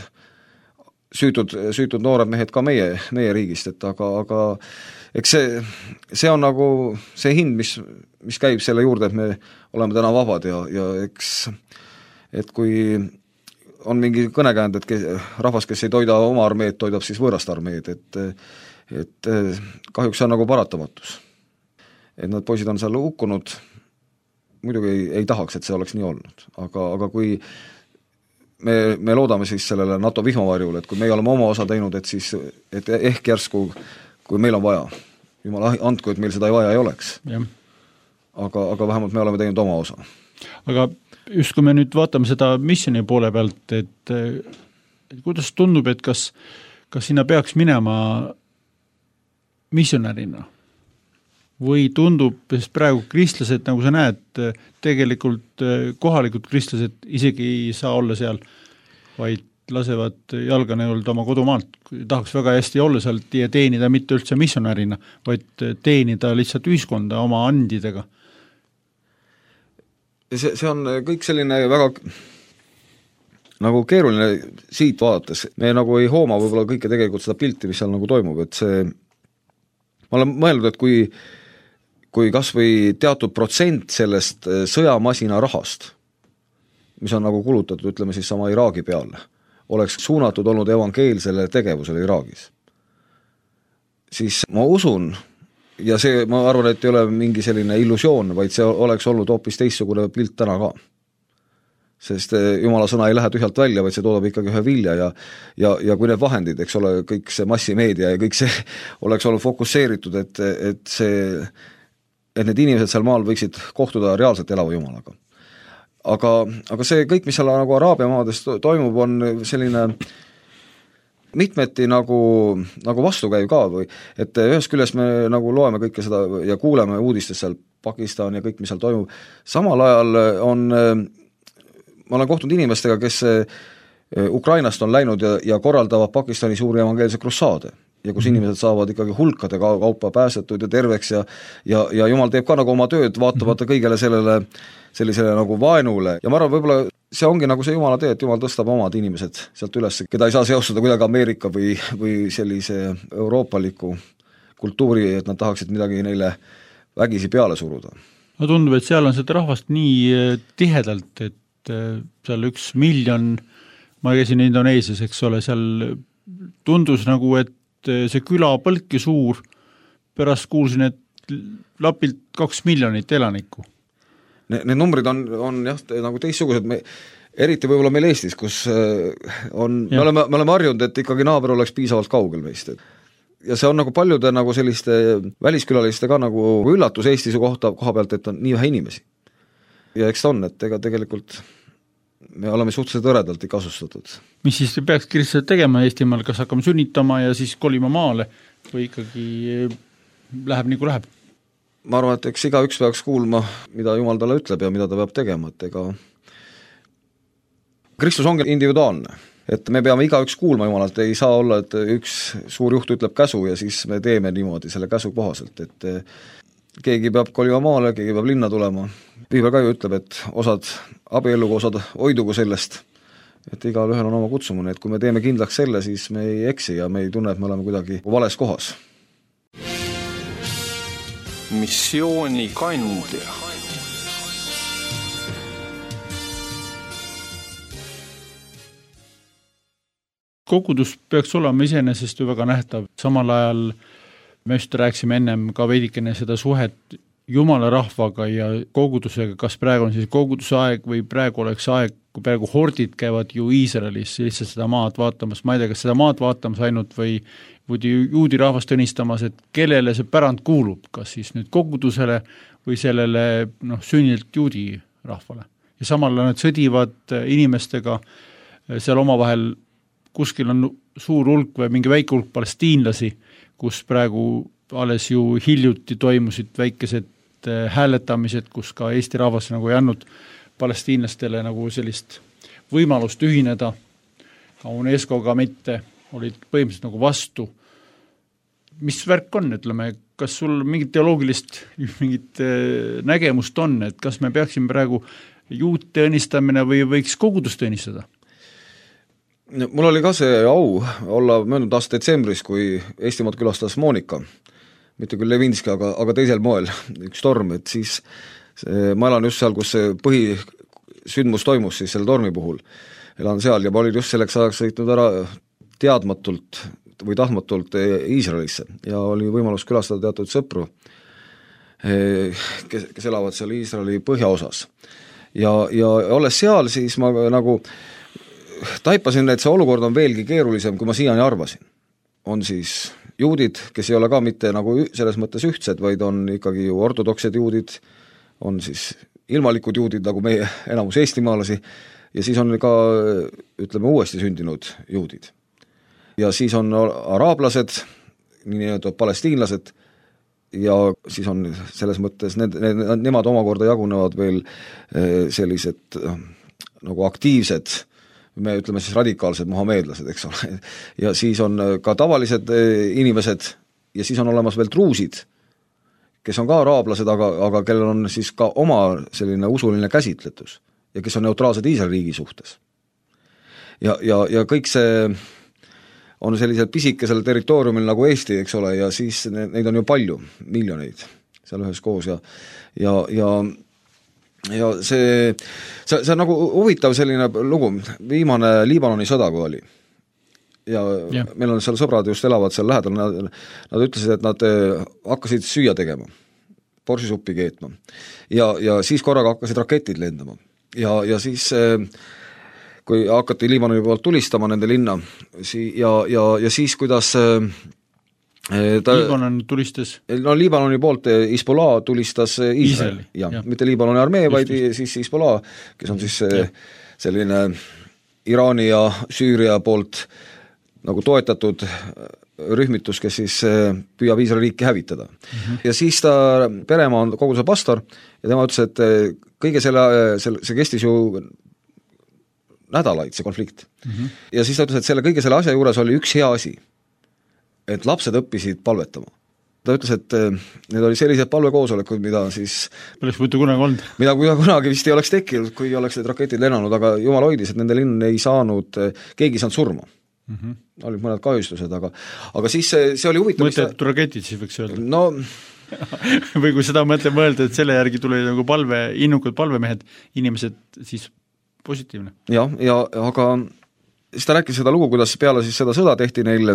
süütud, süütud noored mehed ka meie, meie riigist, et aga, aga eks see, see on nagu see hind, mis, mis käib selle juurde, et me oleme täna vabad ja, ja eks, et kui on mingi kõnekäänd, et kes, rahvas, kes ei toida oma armeed, toidab siis võõrast armeed, et et kahjuks see on nagu paratamatus. Et need poisid on seal hukkunud, muidugi ei, ei tahaks, et see oleks nii olnud, aga, aga kui me, me loodame siis sellele NATO vihmavarjule, et kui me oleme oma osa teinud, et siis, et ehk järsku, kui meil on vaja, jumala andku, et meil seda ei vaja ei oleks. Aga, aga vähemalt me oleme teinud oma osa. Aga just kui me nüüd vaatame seda missioni poole pealt, et, et kuidas tundub, et kas, kas sinna peaks minema missionärina või tundub, sest praegu kristlased, nagu sa näed, tegelikult kohalikud kristlased isegi ei saa olla seal, vaid lasevad jalga nii-öelda oma kodumaalt, tahaks väga hästi olla seal ja teenida mitte üldse missionärina, vaid teenida lihtsalt ühiskonda oma andidega. See, see on kõik selline väga nagu keeruline siit vaadates. Me nagu ei hooma võib-olla kõike tegelikult seda pilti, mis seal nagu toimub, et see, ma olen mõelnud, et kui, kui kas või teatud protsent sellest sõjamasina rahast, mis on nagu kulutatud, ütleme siis sama Iraagi peale, oleks suunatud olnud evangeelsele tegevusele Iraagis, siis ma usun, ja see, ma arvan, et ei ole mingi selline illusioon, vaid see oleks olnud hoopis teistsugune pilt täna ka. Sest Jumala sõna ei lähe tühjalt välja, vaid see toodab ikkagi ühe vilja ja, ja, ja kui need vahendid, eks ole, kõik see massimeedia ja kõik see oleks olnud fokusseeritud, et, et, see, et need inimesed seal maal võiksid kohtuda reaalselt elava Jumalaga. Aga, aga see kõik, mis seal nagu Araabia maades toimub, on selline mitmeti nagu, nagu vastukäiv ka või, et ühest küljest me nagu loeme kõike seda ja kuuleme uudistest seal Pakistan ja kõik, mis seal toimub, samal ajal on, ma olen kohtunud inimestega, kes Ukrainast on läinud ja, ja korraldavad Pakistani suuri evangeelse krussaade ja kus inimesed saavad ikkagi hulkade kaupa pääsetud ja terveks ja, ja, ja Jumal teeb ka nagu oma tööd, vaatamata kõigele sellele, sellisele nagu vaenule ja ma arvan, võib-olla see ongi nagu see Jumala tee, et Jumal tõstab omad inimesed sealt üles, keda ei saa seostada kuidagi Ameerika või, või sellise euroopaliku kultuuri, et nad tahaksid midagi neile vägisi peale suruda. No tundub, et seal on seda rahvast nii tihedalt, et seal üks miljon, ma käisin Indoneesias, eks ole, seal tundus nagu, et see küla põlki suur, pärast kuulsin, et lapilt kaks miljonit elanikku. Need numbrid on, on jah, nagu teistsugused, me, eriti võib-olla meil Eestis, kus on, me oleme, me oleme harjunud, et ikkagi naaber oleks piisavalt kaugel meist. Ja see on nagu paljude nagu selliste väliskülaliste ka nagu üllatus Eestis kohta, koha pealt, et on nii vähe inimesi. Ja eks ta on, et ega tegelikult me oleme suhteliselt õredalt ikka asustatud. Mis siis peaks kristlased tegema Eestimaal, kas hakkame sünnitama ja siis kolima maale või ikkagi läheb nii kui läheb? Ma arvan, et eks iga üks peaks kuulma, mida Jumal talle ütleb ja mida ta peab tegema, et ega Kristus ongi individuaalne, et me peame iga üks kuulma Jumalalt, ei saa olla, et üks suur juht ütleb käsu ja siis me teeme niimoodi selle käsu kohaselt, et keegi peab kolima maale, keegi peab linna tulema. Piibel ka ju ütleb, et osad abiellugu, osad hoidugu sellest, et igal ühel on oma kutsumune, et kui me teeme kindlaks selle, siis me ei eksi ja me ei tunne, et me oleme kuidagi vales kohas. Missiooni kandja. Kogudus peaks olema iseenesest ju väga nähtav, samal ajal me just rääksime ennem ka veidikene seda suhet Jumala rahvaga ja kogudusega, kas praegu on siis koguduse aeg või praegu oleks aeg, kui praegu hordid käivad ju Iisraelis lihtsalt seda maad vaatamas, ma ei tea, kas seda maad vaatamas ainult või, või juudi rahvast õnnistamas, et kellele see pärand kuulub, kas siis nüüd kogudusele või sellele noh, sünnilt juudi rahvale. Ja samal nad sõdivad inimestega seal omavahel, kuskil on suur hulk või mingi väike hulk palestiinlasi, kus praegu alles ju hiljuti toimusid väikesed hääletamised, kus ka Eesti rahvas nagu ei andnud palestiinlastele nagu sellist võimalust ühineda, ka UNESCO-ga mitte, olid põhimõtteliselt nagu vastu. Mis värk on, ütleme, kas sul mingit teoloogilist mingit nägemust on, et kas me peaksime praegu juute õnnistamine või võiks kogudust õnnistada? Mul oli ka see au olla möödunud aasta detsembris, kui Eestimaad külastas Monika, mitte küll Levinski, aga, aga teisel moel, üks torm, et siis see, ma elan just seal, kus see põhisündmus toimus siis selle tormi puhul, elan seal ja ma olin just selleks ajaks sõitnud ära teadmatult või tahtmatult Iisraelisse ja oli võimalus külastada teatud sõpru, kes, kes elavad seal Iisraeli põhjaosas. Ja, ja olles seal, siis ma nagu taipasin, et see olukord on veelgi keerulisem, kui ma siiani arvasin. On siis juudid, kes ei ole ka mitte nagu selles mõttes ühtsed, vaid on ikkagi ju ortodoksed juudid, on siis ilmalikud juudid, nagu meie enamus eestimaalasi, ja siis on ka, ütleme, uuesti sündinud juudid. Ja siis on araablased, nii-öelda palestiinlased, ja siis on selles mõttes, need, need, nemad omakorda jagunevad veel sellised nagu aktiivsed, me ütleme siis radikaalsed muhameedlased, eks ole, ja siis on ka tavalised inimesed ja siis on olemas veel truusid, kes on ka araablased, aga, aga kellel on siis ka oma selline usuline käsitletus ja kes on neutraalsed Iisraeli riigi suhtes. Ja, ja, ja kõik see on sellisel pisikesel territooriumil nagu Eesti, eks ole, ja siis neid on ju palju, miljoneid seal ühes koos ja, ja, ja ja see, see, see on nagu huvitav selline lugu, viimane Liibanoni sõda, kui oli. Ja yeah. Meil on seal sõbrad just elavad seal lähedal, nad, nad ütlesid, et nad hakkasid süüa tegema, borsisuppi keetma ja, ja siis korraga hakkasid raketid lendama ja, ja siis kui hakati Liibanoni poolt tulistama nende linna ja, ja, ja siis kuidas ta, Liibanon tulistas? No Liibanoni poolt Hezbollah tulistas Iisraeli, ja, ja. Mitte Liibanoni armee, vaid just. Siis Hezbollah, kes on siis ja. Selline Iraani ja Süüria poolt nagu toetatud rühmitus, kes siis püüab Iisraeli riiki hävitada. Mm-hmm. Ja siis ta, peremaa on kogu see pastor ja tema ütles, et kõige selle, selle see kestis ju nädalaid, see konflikt. Mm-hmm. Ja siis ta ütles, et selle kõige selle asja juures oli üks hea asi, et lapsed õppisid palvetama. Ta ütles, et need oli sellised palvekoosolekud, mida siis Poleks võitu kunagi olnud. Mida kunagi vist ei oleks tekkinud, kui oleks need raketid lennanud, aga jumal hoidis, et nende linn ei saanud, keegi ei saanud surma. Mm-hmm. Olid mõned kahjustused, aga, aga siis see, see oli huvitav. Mõtletud raketid siis võiks öelda. No või kui seda mõtle mõelda, et selle järgi tuli nagu palve, innukad palvemehed, inimesed siis positiivne. Ja, ja aga siis ta rääkis seda lugu, kuidas peale siis seda sõda tehti neil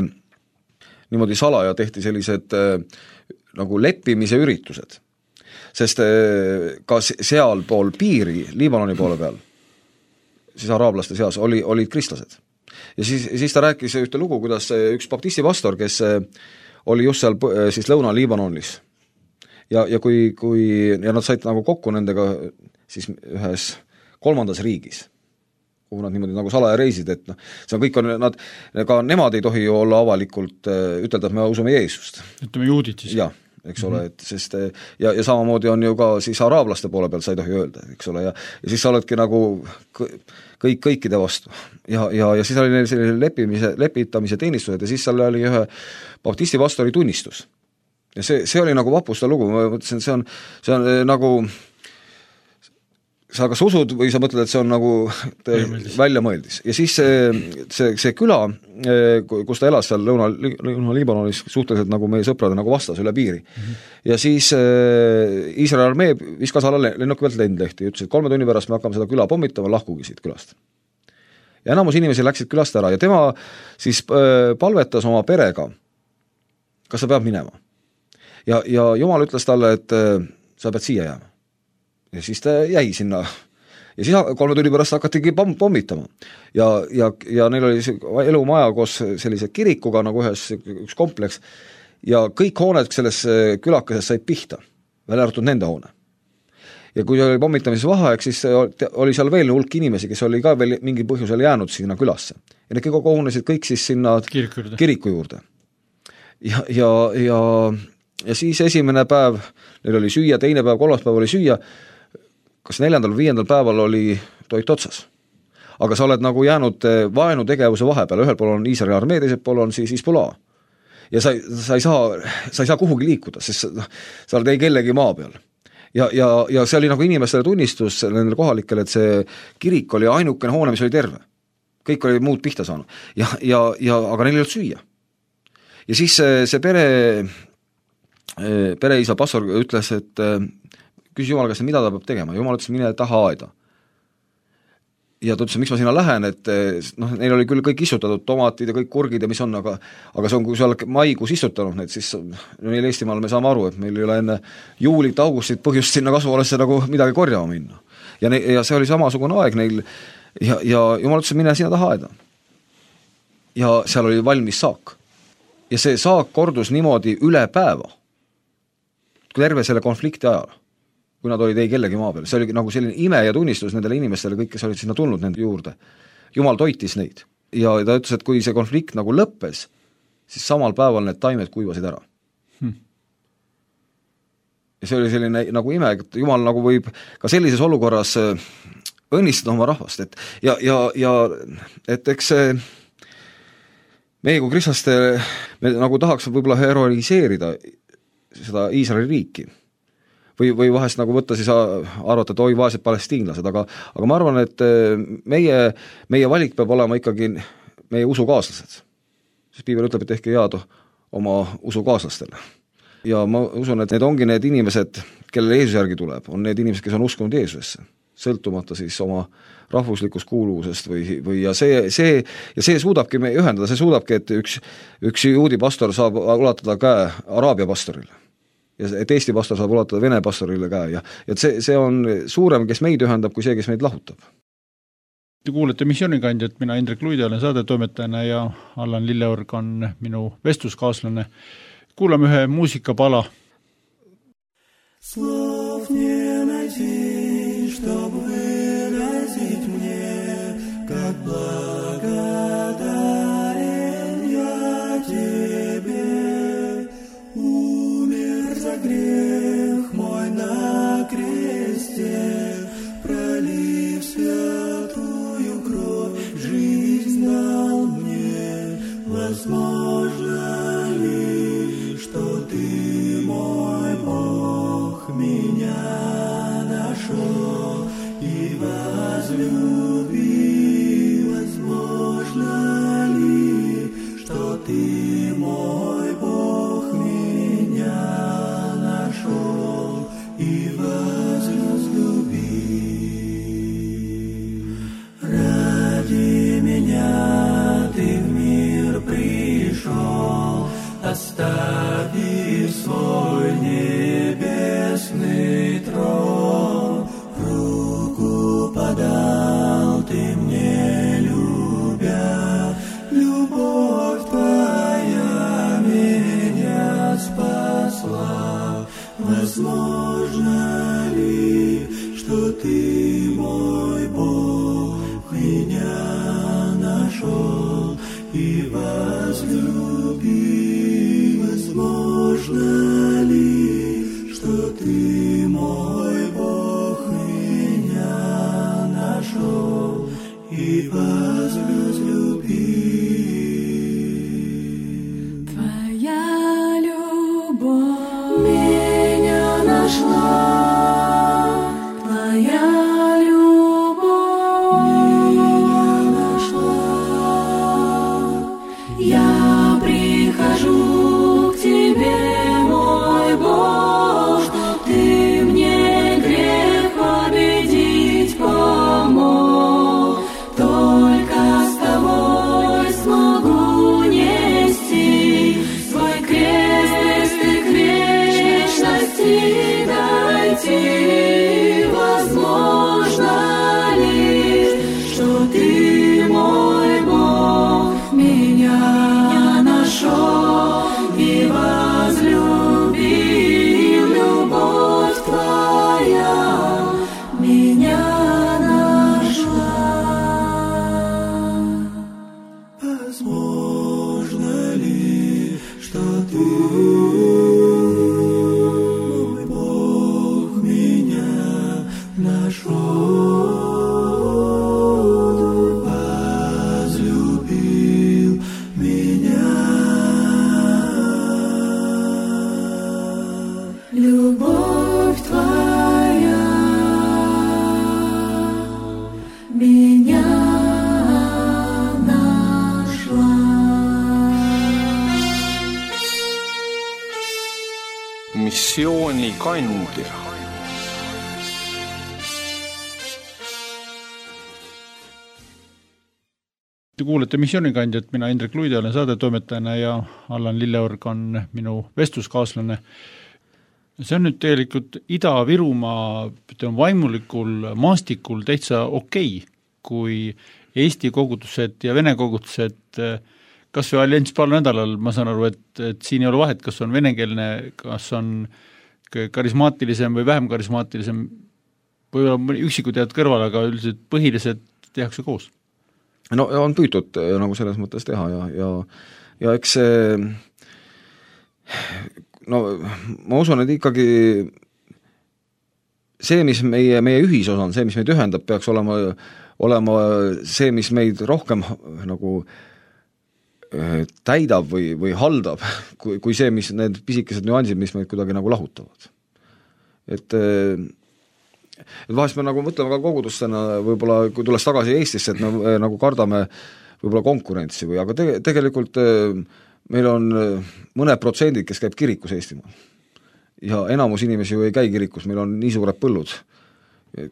niimoodi salaja tehti sellised äh, nagu leppimise üritused. Sest äh, ka seal pool piiri, Liibanoni poole peal, siis araablaste seas oli, olid kristlased. Ja siis, siis ta rääkis ühte lugu, kuidas üks baptisti pastor, kes oli just seal siis Lõuna-Liibanonis ja, ja kui, kui ja nad said nagu kokku nendega siis ühes kolmandas riigis, kuhu nad niimoodi nagu salaja reisid, et noh, see on kõik on, nad, ka nemad ei tohi ju olla avalikult ütelda, et me usume Jeesust. Ütleme juudid siis. Jah, eks ole, et sest ja, ja samamoodi on ju ka siis araablaste poole peal sa ei tohi öelda, eks ole, ja, ja siis sa oledki nagu kõik kõikide vastu ja, ja, ja siis oli neil selline lepimise, lepitamise teenistused ja siis seal oli ühe baptisti pastori tunnistus ja see, see oli nagu vapusta lugu, ma mõtlesin, see on, see on nagu sa kas usud või sa mõtled, et see on nagu väljamõeldis. Ja siis see, see, see küla, kus ta elas seal Lõuna, Lõuna-Liibanonis suhteliselt nagu meie sõprade nagu vastas üle piiri. Mm-hmm. Ja siis Iisraeli armee viskas alla lennuki pealt lendlehti ja ütles, et kolme tunni pärast me hakkame seda küla pommitama, lahkugi siit külast. Ja enamus inimesi läksid külast ära ja tema siis palvetas oma perega, kas sa pead minema. Ja, ja Jumal ütles talle, et sa pead siia jääma. Ja siis ta jäi sinna ja siis kolme tunni pärast hakatigi pommitama ja, ja, ja neil oli elumaja koos sellise kirikuga nagu ühes üks kompleks ja kõik hooned selles külakases said pihta, välja arvatud nende hoone. Ja kui oli pommitamises vaheaeg, siis oli seal veel hulk inimesi, kes oli ka veel mingi põhjusel jäänud sinna külasse ja need kõik kogunesid kõik siis sinna kiriku juurde, kiriku juurde. Ja, ja, ja, ja siis esimene päev neil oli süüa, teine päev, kolmas päev oli süüa, kas neljandal või viiendal päeval oli toit otsas. Aga sa oled nagu jäänud vaenu tegevuse vahepeal, ühel pool on Iisraeli armee, teisel pool on siis Hezbollah. Ja sa, sa, ei saa, sa ei saa kuhugi liikuda, sest sa, sa oled ei kellegi maa peal. Ja, ja, ja see oli nagu inimestele tunnistus nendele kohalikele, et see kirik oli ainukene hoone, mis oli terve. Kõik oli muud pihta saanud. Ja, ja, ja, aga neil ei olnud süüa. Ja siis see, see pere, pereisa pastor ütles, et küsis Jumal käest, mida ta peab tegema. Jumal ütles, mine taha aeda. ja ta ütles, miks ma sinna lähen, et noh, neil oli küll kõik istutatud, tomatid ja kõik kurgid ja mis on, aga aga see on, kui sa oled maikuus istutanud need, siis meil Eestimaal me saame aru, et meil ei ole enne juulit, augustit põhjust sinna kasvuhoonesse nagu midagi korjama minna. Ja, ne, ja see oli samasugune aeg neil ja, ja jumal ütles, mine sinna taha aeda. Ja seal oli valmis saak. Ja see saak kordus niimoodi üle päeva, terve selle konflikti ajal, kui nad olid ei kellegi maa peal. See oli nagu selline ime ja tunnistus nendele inimestele, kõik, kes olid sinna tulnud nende juurde. Jumal toitis neid. Ja ta ütles, et kui see konflikt nagu lõppes, siis samal päeval need taimed kuivasid ära. Hmm. Ja see oli selline nagu ime, et Jumal nagu võib ka sellises olukorras õnnistada oma rahvast. Et ja, ja, ja et eks see meie kui kristlaste, me nagu tahaks võib-olla heroiseerida seda Iisraeli riiki. Või, või vahest nagu võtta siis arvata, et oi, vaesed palestiinlased, aga, aga ma arvan, et meie, meie valik peab olema ikkagi meie usukaaslased. Sest Piibel ütleb, et tehke head oma usukaaslastele. Ja ma usun, et need ongi need inimesed, kellele Jeesus järgi tuleb, on need inimesed, kes on uskunud Jeesusesse, sõltumata siis oma rahvuslikust kuuluvusest või, või ja see, see, ja see suudabki me ühendada, see suudabki, et üks, üks juudi pastor saab ulatada käe Araabia pastorile. Ja et Eesti pastor saab ulatada Vene pastorile käe ja, ja see, see on suurem, kes meid ühendab, kui see, kes meid lahutab. Te kuulete Missioonikandjat, mina Indrek Luide olen saadetoimetajana ja Allan Lilleorg on minu vestluskaaslane. Kuulame ühe muusikapala. Слов не найти, чтоб выразить мне, как благодарен я тебе. Умер за грех мой на кресте, пролив святую кровь, жизнь дал мне. Возможно ли, что ты мой Бог меня нашел и возлюбил? Возможно ли, что ты мой Бог меня нашел и возлюбил? Ради меня ты в мир пришел, оставив свой небесный трон. Руку подал ты мне, любя, любовь твоя меня спасла. Возможно ли, что ты мой Бог меня нашел и возлюбил? Возможно ли, что ты мой Бог меня нашел и возлюбил? Твоя любовь меня нашла, твоя любовь меня нашла. Я прихожу к тебе, мой Бог, чтоб ты мне грех победить помог. Только с тобой смогу нести свой крест и к вечности дойти. Возможно ли, что ты мой Бог меня нашел и возлюбил? Любовь твоя меня нашла. Возможно ли, что ты мой Бог меня нашел, возлюбил меня? Любовь твоя меня нашла. Missioonikandja. Te kuulete Missioonikandjat, mina Indrek Luide olen saadetoimetajana ja Allan Lilleorg on minu vestluskaaslane. See on nüüd tegelikult Ida-Virumaa vaimulikul maastikul täitsa okei, kui Eesti kogudused ja Vene kogudused, kas või allianss paar nädalal, ma saan aru, et, et siin ei ole vahet, kas on venekeelne, kas on karismaatilisem või vähem karismaatilisem, võib-olla üksikud jääd kõrval, aga üldiselt põhilised tehakse koos. No on püütud nagu selles mõttes teha ja, ja, ja eks see, no ma usun, et ikkagi see, mis meie, meie ühisosa on, see, mis meid ühendab, peaks olema, olema see, mis meid rohkem nagu täidab või, või haldab, kui, kui see, mis need pisikesed nüansid, mis meid kuidagi nagu lahutavad. Et et vahest me nagu mõtleme ka kogudustena, võib-olla kui tulles tagasi Eestisse, et me nagu kardame võib-olla konkurentsi või, aga te, tegelikult meil on mõned protsendid, kes käib kirikus Eestimaal. Ja enamus inimesi ju ei käi kirikus, meil on nii suured põllud,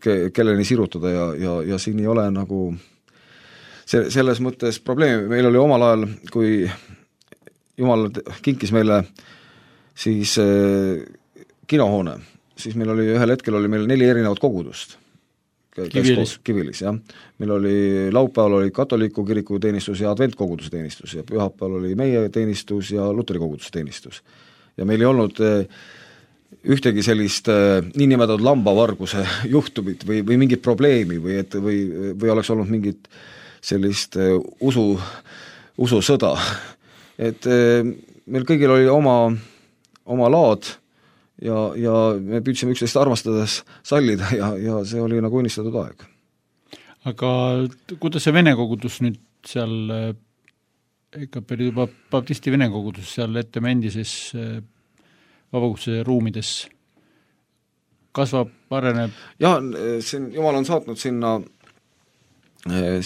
ke, kelleni sirutada ja, ja, ja siin ei ole nagu see, selles mõttes probleemi. Meil oli omal ajal, kui Jumal kinkis meile siis eh, kinohoone, siis meil oli ühel hetkel oli meil neli erinevat kogudust. Kivilis. Kivilis, jah. Meil oli laupäeval oli katoliku kiriku teenistus ja adventkoguduse teenistus ja pühapäeval oli meie teenistus ja luteri koguduse teenistus. Ja meil ei olnud ühtegi sellist niinimetatud lambavarguse juhtumit või, või mingit probleemi või, et, või, või oleks olnud mingit sellist usu, ususõda. Et meil kõigil oli oma, oma laad ja, ja me püüdsime üksteist armastades sallida ja, ja see oli nagu unistatud aeg. Aga kuidas see Vene kogudus nüüd seal, ikka päris juba baptisti Vene kogudus seal Ettemäe endises vabakutse ruumides kasvab, areneb? Jah, siin Jumal on saatnud sinna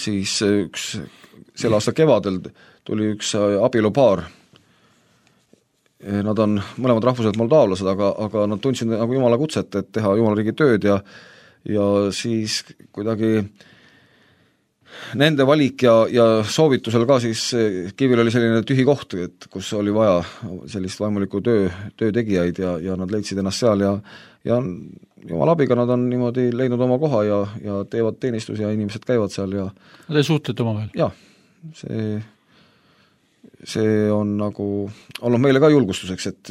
siis üks, selle aasta kevadel tuli üks abielupaar. Nad on mõlemad rahvuselt moldaavlased, aga, aga nad tundsid nagu Jumala kutset, et teha Jumala riigi tööd ja, ja siis kuidagi nende valik ja, ja soovitusel ka siis Kivil oli selline tühi koht, et kus oli vaja sellist vaimuliku töö, töötegijaid ja, ja nad leidsid ennast seal ja, ja Jumala abiga nad on niimoodi leidnud oma koha ja, ja teevad teenistus ja inimesed käivad seal ja Te suhtlete omavahel? Jah, see see on nagu olnud meile ka julgustuseks, et,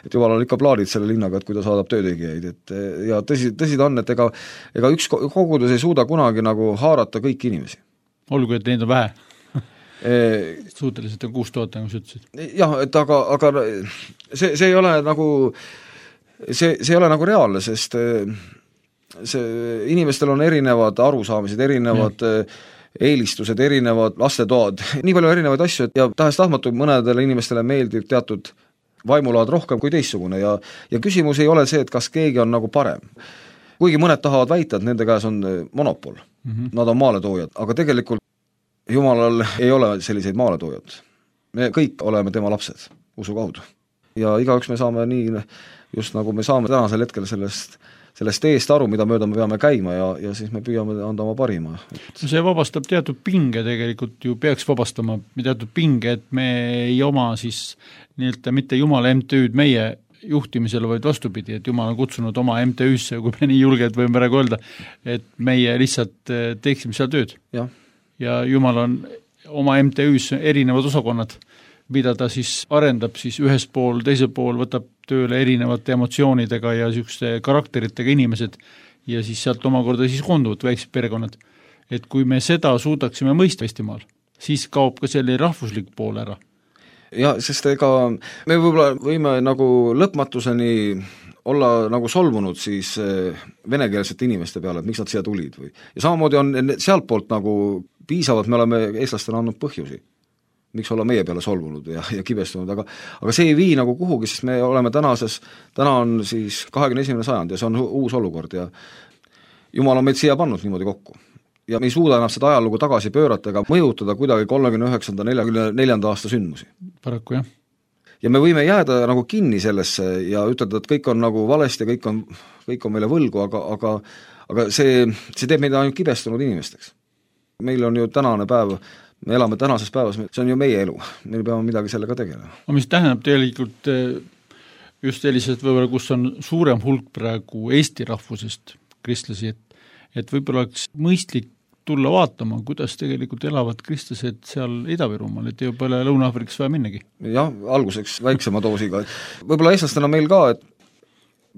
et Jumal on ikka plaanid selle linnaga, et kui ta saadab töötegijaid, et ja tõsi, tõsi ta on, et ega, ega üks kogudus ei suuda kunagi nagu haarata kõiki inimesi. Olgu, et neid on vähe. Suhteliselt on kuus tuhat, nagu sa ütlesid. Jah, et aga, aga see, see ei ole nagu see, see ei ole nagu reaalne, sest see, inimestel on erinevad arusaamised, erinevad ja. Eelistused, erinevad lastetoad, nii palju erinevaid asju, et ja tahes-tahtmatu mõnedele inimestele meeldib teatud vaimulaad rohkem kui teissugune ja, ja küsimus ei ole see, et kas keegi on nagu parem. Kuigi mõned tahavad väita, et nende käes on monopol, mm-hmm. Nad on maaletoojad, aga tegelikult Jumalal ei ole selliseid maaletoojad. Me kõik oleme tema lapsed usu kaudu. Ja igaüks me saame nii, just nagu me saame tänasel hetkel sellest sellest eest aru, mida mööda me peame käima ja, ja siis me püüame anda oma parima. Et... see vabastab teatud pinge tegelikult ju peaks vabastama teatud pinge, et me ei oma siis nii-öelda mitte Jumala M T Ü-d meie juhtimisele, vaid vastupidi, et Jumal on kutsunud oma M T Ü-sse, kui me nii julged võime praegu öelda, et meie lihtsalt teeksime seal tööd. Ja, ja Jumal on oma M T Ü-s erinevad osakonnad, mida ta siis arendab siis ühes pool, teisel pool võtab tööle erinevate emotsioonidega ja niisuguste karakteritega inimesed ja siis sealt omakorda siis koonduvad väiksed perekonnad. Et kui me seda suudaksime mõista Eestimaal, siis kaob ka selle rahvuslik pool ära. Ja, sest ega me võib-olla võime nagu lõpmatuseni olla nagu solvunud siis venekeelsete inimeste peale, et miks nad siia tulid või. Ja samamoodi on sealt poolt nagu piisavalt, me oleme eestlastena andnud põhjusi. Miks olla meie peale solvunud ja, ja kibestunud, aga, aga see ei vii nagu kuhugi, sest me oleme tänases, täna on siis kahekümne esimene sajand ja see on uus olukord ja Jumal on meid siia pannud niimoodi kokku. Ja me ei suuda enam seda ajalugu tagasi pöörata ega mõjutada kuidagi kolmekümne üheksanda neljakümne neljanda aasta sündmusi. Paraku jah. Ja me võime jääda nagu kinni sellesse ja ütelda, et kõik on nagu valesti, kõik on, kõik on meile võlgu, aga, aga, aga see, see teeb meid ainult kibestunud inimesteks. Meil on ju tänane päev me elame tänases päevas, see on ju meie elu, meil peame midagi sellega tegelema. No mis tähendab tegelikult just sellised võib-olla, kus on suurem hulk praegu Eesti rahvusest kristlasi, et, et võib-olla oleks mõistlik tulla vaatama, kuidas tegelikult elavad kristlased seal Ida-Virumaal, et ei pole Lõuna-Aafrikas vaja minnagi. Jah, alguseks väiksema doosiga. Võib-olla eestlastena meil ka, et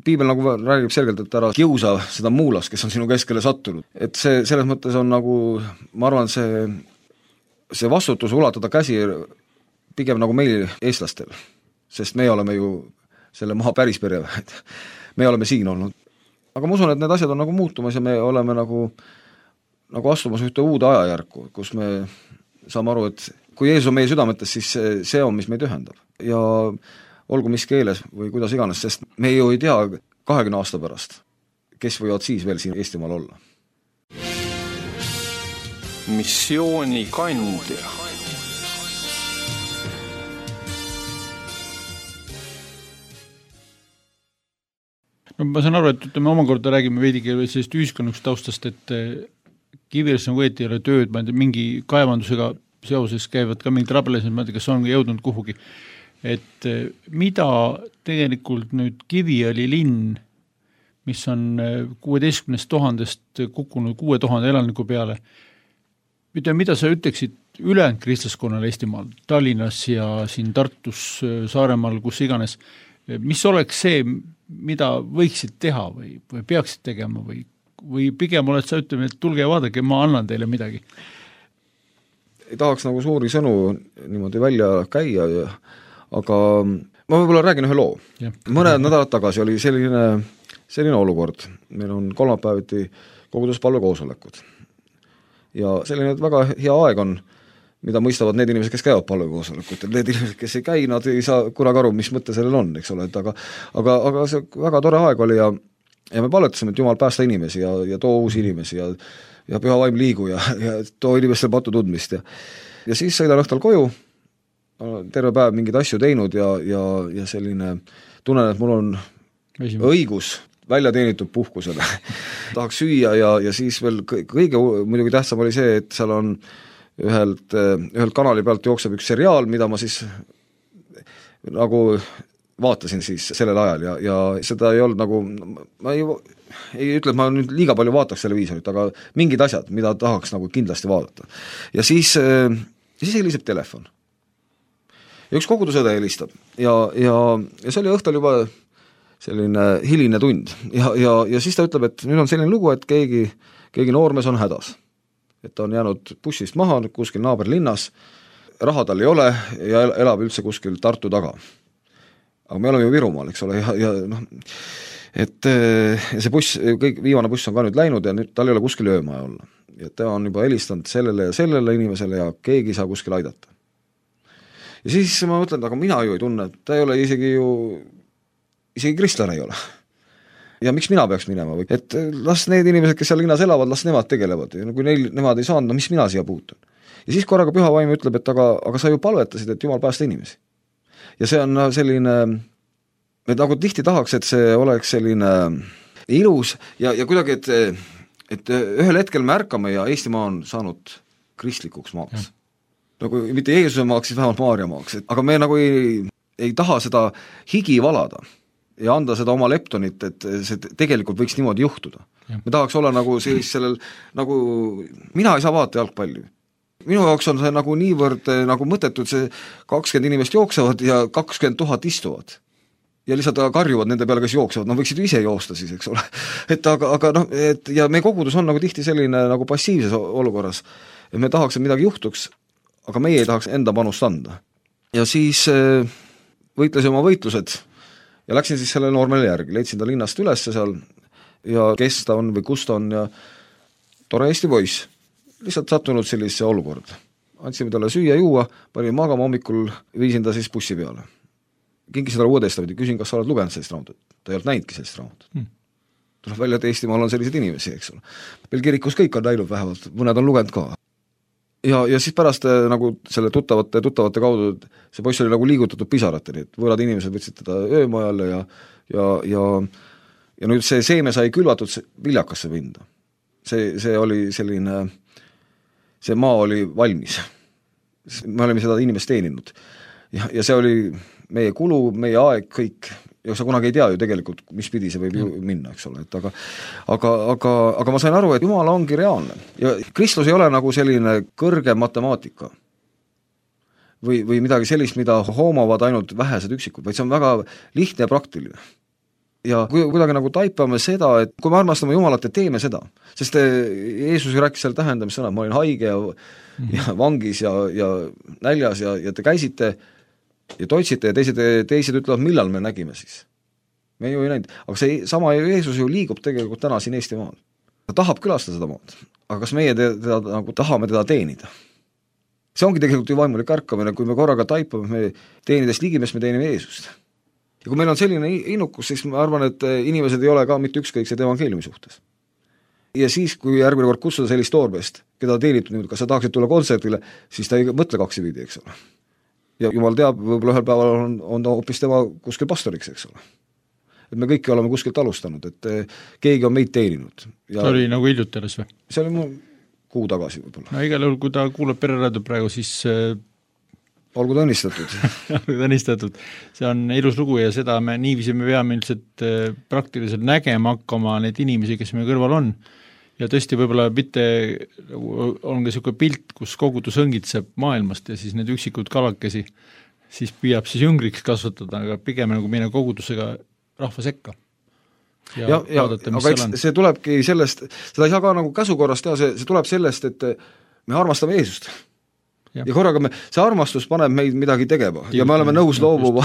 piibel nagu räägib selgelt, et ära kiusa seda muulast, kes on sinu keskele sattunud. Et see selles mõttes on nagu, ma arvan, see, see vastutus ulatada käsi pigem nagu meil eestlastel, sest me oleme ju selle maha päris pereväed. Me oleme siin olnud. Aga ma usun, et need asjad on nagu muutumas ja me oleme nagu nagu astumas ühte uude ajajärku, kus me saame aru, et kui Jeesus on meie südametes, siis see, see on, mis meid ühendab. Ja olgu mis keeles või kuidas iganes, sest me ju ei tea kahekümne aasta pärast, kes võivad siis veel siin Eestimaal olla. Missiooni kandja. No ma saan aru, et ütleme omakorda räägime veidigi sellist ühiskonnaks taustast, et Kiviõlis nagu õieti ei ole tööd, ma ei tea, mingi kaevandusega seoses käivad ka mingid rabelesed, ma ei tea, kas on jõudnud kuhugi. Et mida tegelikult nüüd Kiviõli linn, mis on kuueteistkümnest tuhandest kukkunud kuue tuhande elaniku peale, mida, mida sa ütleksid ülejäänud kristlaskonnale Eestimaal, Tallinnas ja siin Tartus, Saaremaal, kus iganes, mis oleks see, mida võiksid teha või, või peaksid tegema või või pigem oled sa ütleme, et tulge ja vaadake, ma annan teile midagi? Ei tahaks nagu suuri sõnu niimoodi välja käia, ja, aga ma võib-olla räägin ühe loo. Ja. Mõned nädalad tagasi oli selline, selline olukord. Meil on kolmapäeviti koguduspalve koosolekud. Ja selline väga hea aeg on, mida mõistavad need inimesed, kes käivad palve koosolekut. Need inimesed, kes ei käi, nad ei saa kunagi aru, mis mõte sellel on, eks ole. Et aga, aga, aga see väga tore aeg oli ja ja me palvetasime, et Jumal päästa inimesi ja, ja too uusi inimesi ja, ja püha vaim liigu ja, ja too inimestel patu tundmist. Ja, ja siis sõidan õhtal koju, terve päev mingeid asju teinud ja, ja, ja selline tunnen, et mul on Esimene. õigus välja teenitud puhkusele. Tahaks süüa ja, ja siis veel kõige muidugi tähtsam oli see, et seal on ühelt, ühelt kanali pealt jookseb üks seriaal, mida ma siis nagu vaatasin siis sellel ajal ja, ja seda ei olnud nagu, ma ei, ei ütle, et ma nüüd liiga palju vaataks televiisorit, aga mingid asjad, mida tahaks nagu kindlasti vaadata. Ja siis, siis heliseb telefon. Ja üks kogudusõde helistab ja, ja, ja see oli õhtul juba selline hiline tund ja, ja, ja siis ta ütleb, et nüüd on selline lugu, et keegi, keegi noormees on hädas. Et ta on jäänud bussist maha kuskil naaberlinnas, raha tal ei ole ja elab üldse kuskil Tartu taga. Aga me oleme ju Virumaal, eks ole, ja, ja noh, et see buss, kõik viimane buss on ka nüüd läinud ja nüüd tal ei ole kuskil öömaja olla. Ja ta on juba helistanud sellele ja sellele inimesele ja keegi ei saa kuskil aidata. Ja siis ma mõtlen, aga mina ju ei tunne, et ta ei ole isegi ju, isegi kristlane ei ole. Ja miks mina peaks minema või? Et las need inimesed, kes seal linnas elavad, las nemad tegelevad. Ja kui neil, nemad ei saanud, no mis mina siia puutun? Ja siis korraga püha vaim ütleb, et aga, aga sa ju palvetasid, et Jumal päästa inimesi. Ja see on selline, et nagu tihti tahaks, et see oleks selline ilus ja, ja kuidagi, et, et ühel hetkel me ärkame ja Eestimaa on saanud kristlikuks maaks. Nagu mitte Jeesuse maaks, siis vähemalt Maaria maaks. Aga me nagu ei, ei taha seda higi valada ja anda seda oma leptonit, et see tegelikult võiks niimoodi juhtuda. Ja. Me tahaks olla nagu siis sellel, nagu mina ei saa vaata jalgpalli. Minu jaoks on see nagu niivõrd nagu mõttetud, see kakskümmend inimest jooksevad ja kakskümmend tuhat istuvad. Ja lihtsalt karjuvad nende peale, kes jooksevad, no võiksid ju ise joosta siis, eks ole. Et aga, aga noh, et ja meie kogudus on nagu tihti selline nagu passiivses olukorras. Et me tahaks, et midagi juhtuks, aga meie ei tahaks enda panust anda. Ja siis võitlesin oma võitlused ja läksin siis selle noormele järgi, leidsin ta linnast üles seal ja kes ta on või kus ta on ja tore Eesti poiss. Lihtsalt sattunud sellise olukord. Andsime talle süüa juua, panin magama hommikul, viisin ta siis bussi peale. Kinkisin talle uudestaviti, küsin, kas sa oled lugenud sellist raamatut. Ta ei olnud näinudki sellist raamatut. Hmm. Tuleb välja, et Eestimaal on sellised inimesi, eks ole. Veel kirikus kõik on näinud vähemalt, mõned on lugenud ka. Ja, ja siis pärast nagu selle tuttavate, tuttavate kaudu, see poiss oli nagu liigutatud pisarateni, et võõrad inimesed võtsid teda öömajalle ja, ja, ja, ja nüüd see seeme sai külvatud viljakasse pinda. See, see oli selline, see maa oli valmis me olime seda inimest teeninud. Ja, ja see oli meie kulu, meie aeg, kõik, ja sa kunagi ei tea ju tegelikult, mis pidi see võib ju minna, eks ole, et aga aga, aga, aga ma sain aru, et Jumal ongi reaalne ja Kristus ei ole nagu selline kõrge matemaatika või, või midagi sellist, mida hoomavad ainult vähesed üksikud, vaid see on väga lihtne ja praktiline. Ja kui kuidagi nagu taipame seda, et kui me armastame Jumalat, et teeme seda, sest Jeesus rääkis seal tähendamissõna, ma olin haige ja, mm-hmm. ja vangis ja, ja näljas ja, ja te käisite ja toitsite ja teised, teised ütlevad, millal me nägime siis. Me ju ei näinud, aga see sama Jeesus ju liigub tegelikult täna siin Eesti maal. Ta tahab külastada seda maad, aga kas meie teda, teda, nagu tahame teda teenida? See ongi tegelikult ju vaimulik ärkamine, kui me korraga taipame, me teenides ligimes, me teenime Jeesust. Ja kui meil on selline innukus, siis ma arvan, et inimesed ei ole ka mitte ükskõiksed evangeeliumi suhtes. Ja siis, kui järgmine kord kutsuda sellist toorbest, keda teenib nüüd, kas sa tahaksid tulla kontserdile, siis ta ei mõtle kaksi viidi, eks ole. Ja Jumal teab, võib-olla ühel päeval on, on ta hoopis tema kuskil pastoriks, eks ole. Et me kõiki oleme kuskilt alustanud, et keegi on meid teeninud. Ja see oli nagu hiljuti alles või? See oli mu kuu tagasi võib-olla. No igal juhul, kui ta kuulab pereradio praegu, siis olgu ta õnnistatud. olgu ta õnnistatud. See on ilus lugu ja seda me niiviisi me peame üldiselt praktiliselt nägema hakkama neid inimesi, kes meie kõrval on. Ja tõesti võib-olla mitte on ka niisugune pilt, kus kogudus õngitseb maailmast ja siis need üksikud kalakesi siis püüab siis jüngriks kasvatada, aga pigem nagu minna kogudusega rahva sekka. Ja, ja, ja vaadata, aga eks see tulebki sellest, seda ei saa ka nagu käsukorrast teha, see, see tuleb sellest, et me armastame Jeesust. Ja, ja korraga me, see armastus paneb meid midagi tegema ja, ja me oleme nõus loobuma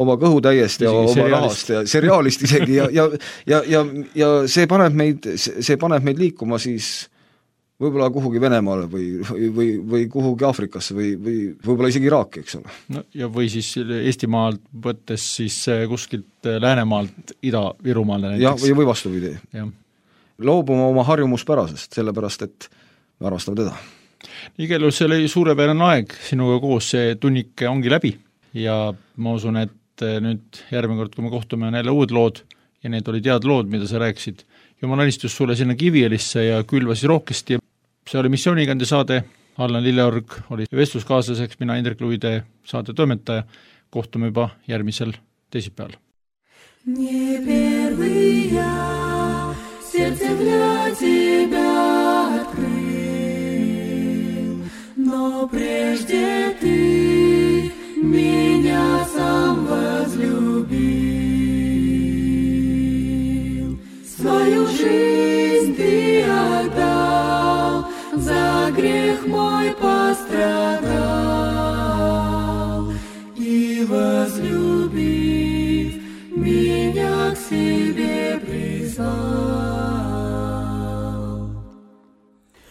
oma kõhutäiest ja oma seriaalist. Rahast ja seriaalist isegi ja, ja, ja, ja, ja see paneb meid, see paneb meid liikuma siis võib-olla kuhugi Venemaale või, või, või, või kuhugi Aafrikasse või, või võib-olla isegi Iraaki, eks ole. No, ja või siis Eestimaalt võttes siis kuskilt Läänemaalt Ida-Virumaale näiteks. Ja, või, või vastupidi. Loobuma oma harjumuspärasest, sellepärast et me armastame teda. Igal juhul see oli suurepärane aeg, sinuga koos see tunnike ongi läbi ja ma usun, et nüüd järgmine kord, kui me kohtume, on jälle uued lood ja need olid head lood, mida sa rääkisid. Jumal õnnistus sulle sinna Kivielisse ja külvasi rohkesti. See oli missioonigande saade, Allan Lilleorg oli vestluskaaslaseks, mina Indrek Luide saate toimetaja. Kohtume juba järgmisel teisipäeval. Не первый я сердце для тебя открыл, но прежде ты меня сам возлюбил. Свою жизнь ты отдал, за грех мой пострадал, и возлюбив меня к себе призвал.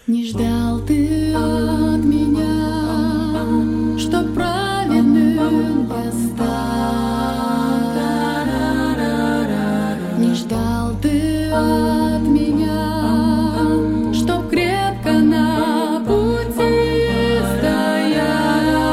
Не ждал ты от меня, что праведным я стал. Не ждал ты от меня, чтоб крепко на пути стоял.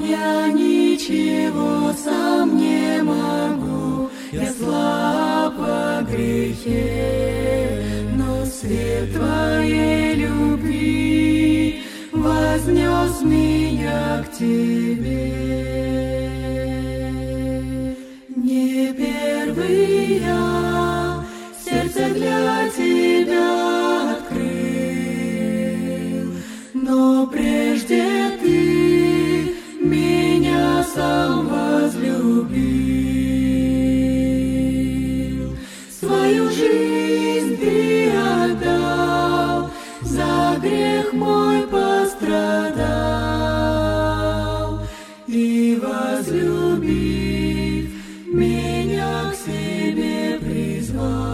Я ничего сам не могу, я слаб во грехе, но свет твоей любви вознес меня к тебе. Не первый я сердце для тебя открыл, но прежде ты меня сам возлюбил. Свою жизнь ты отдал, за грех мой пострадал, и возлюбив меня к себе призвал.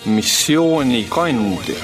Missioonikandja.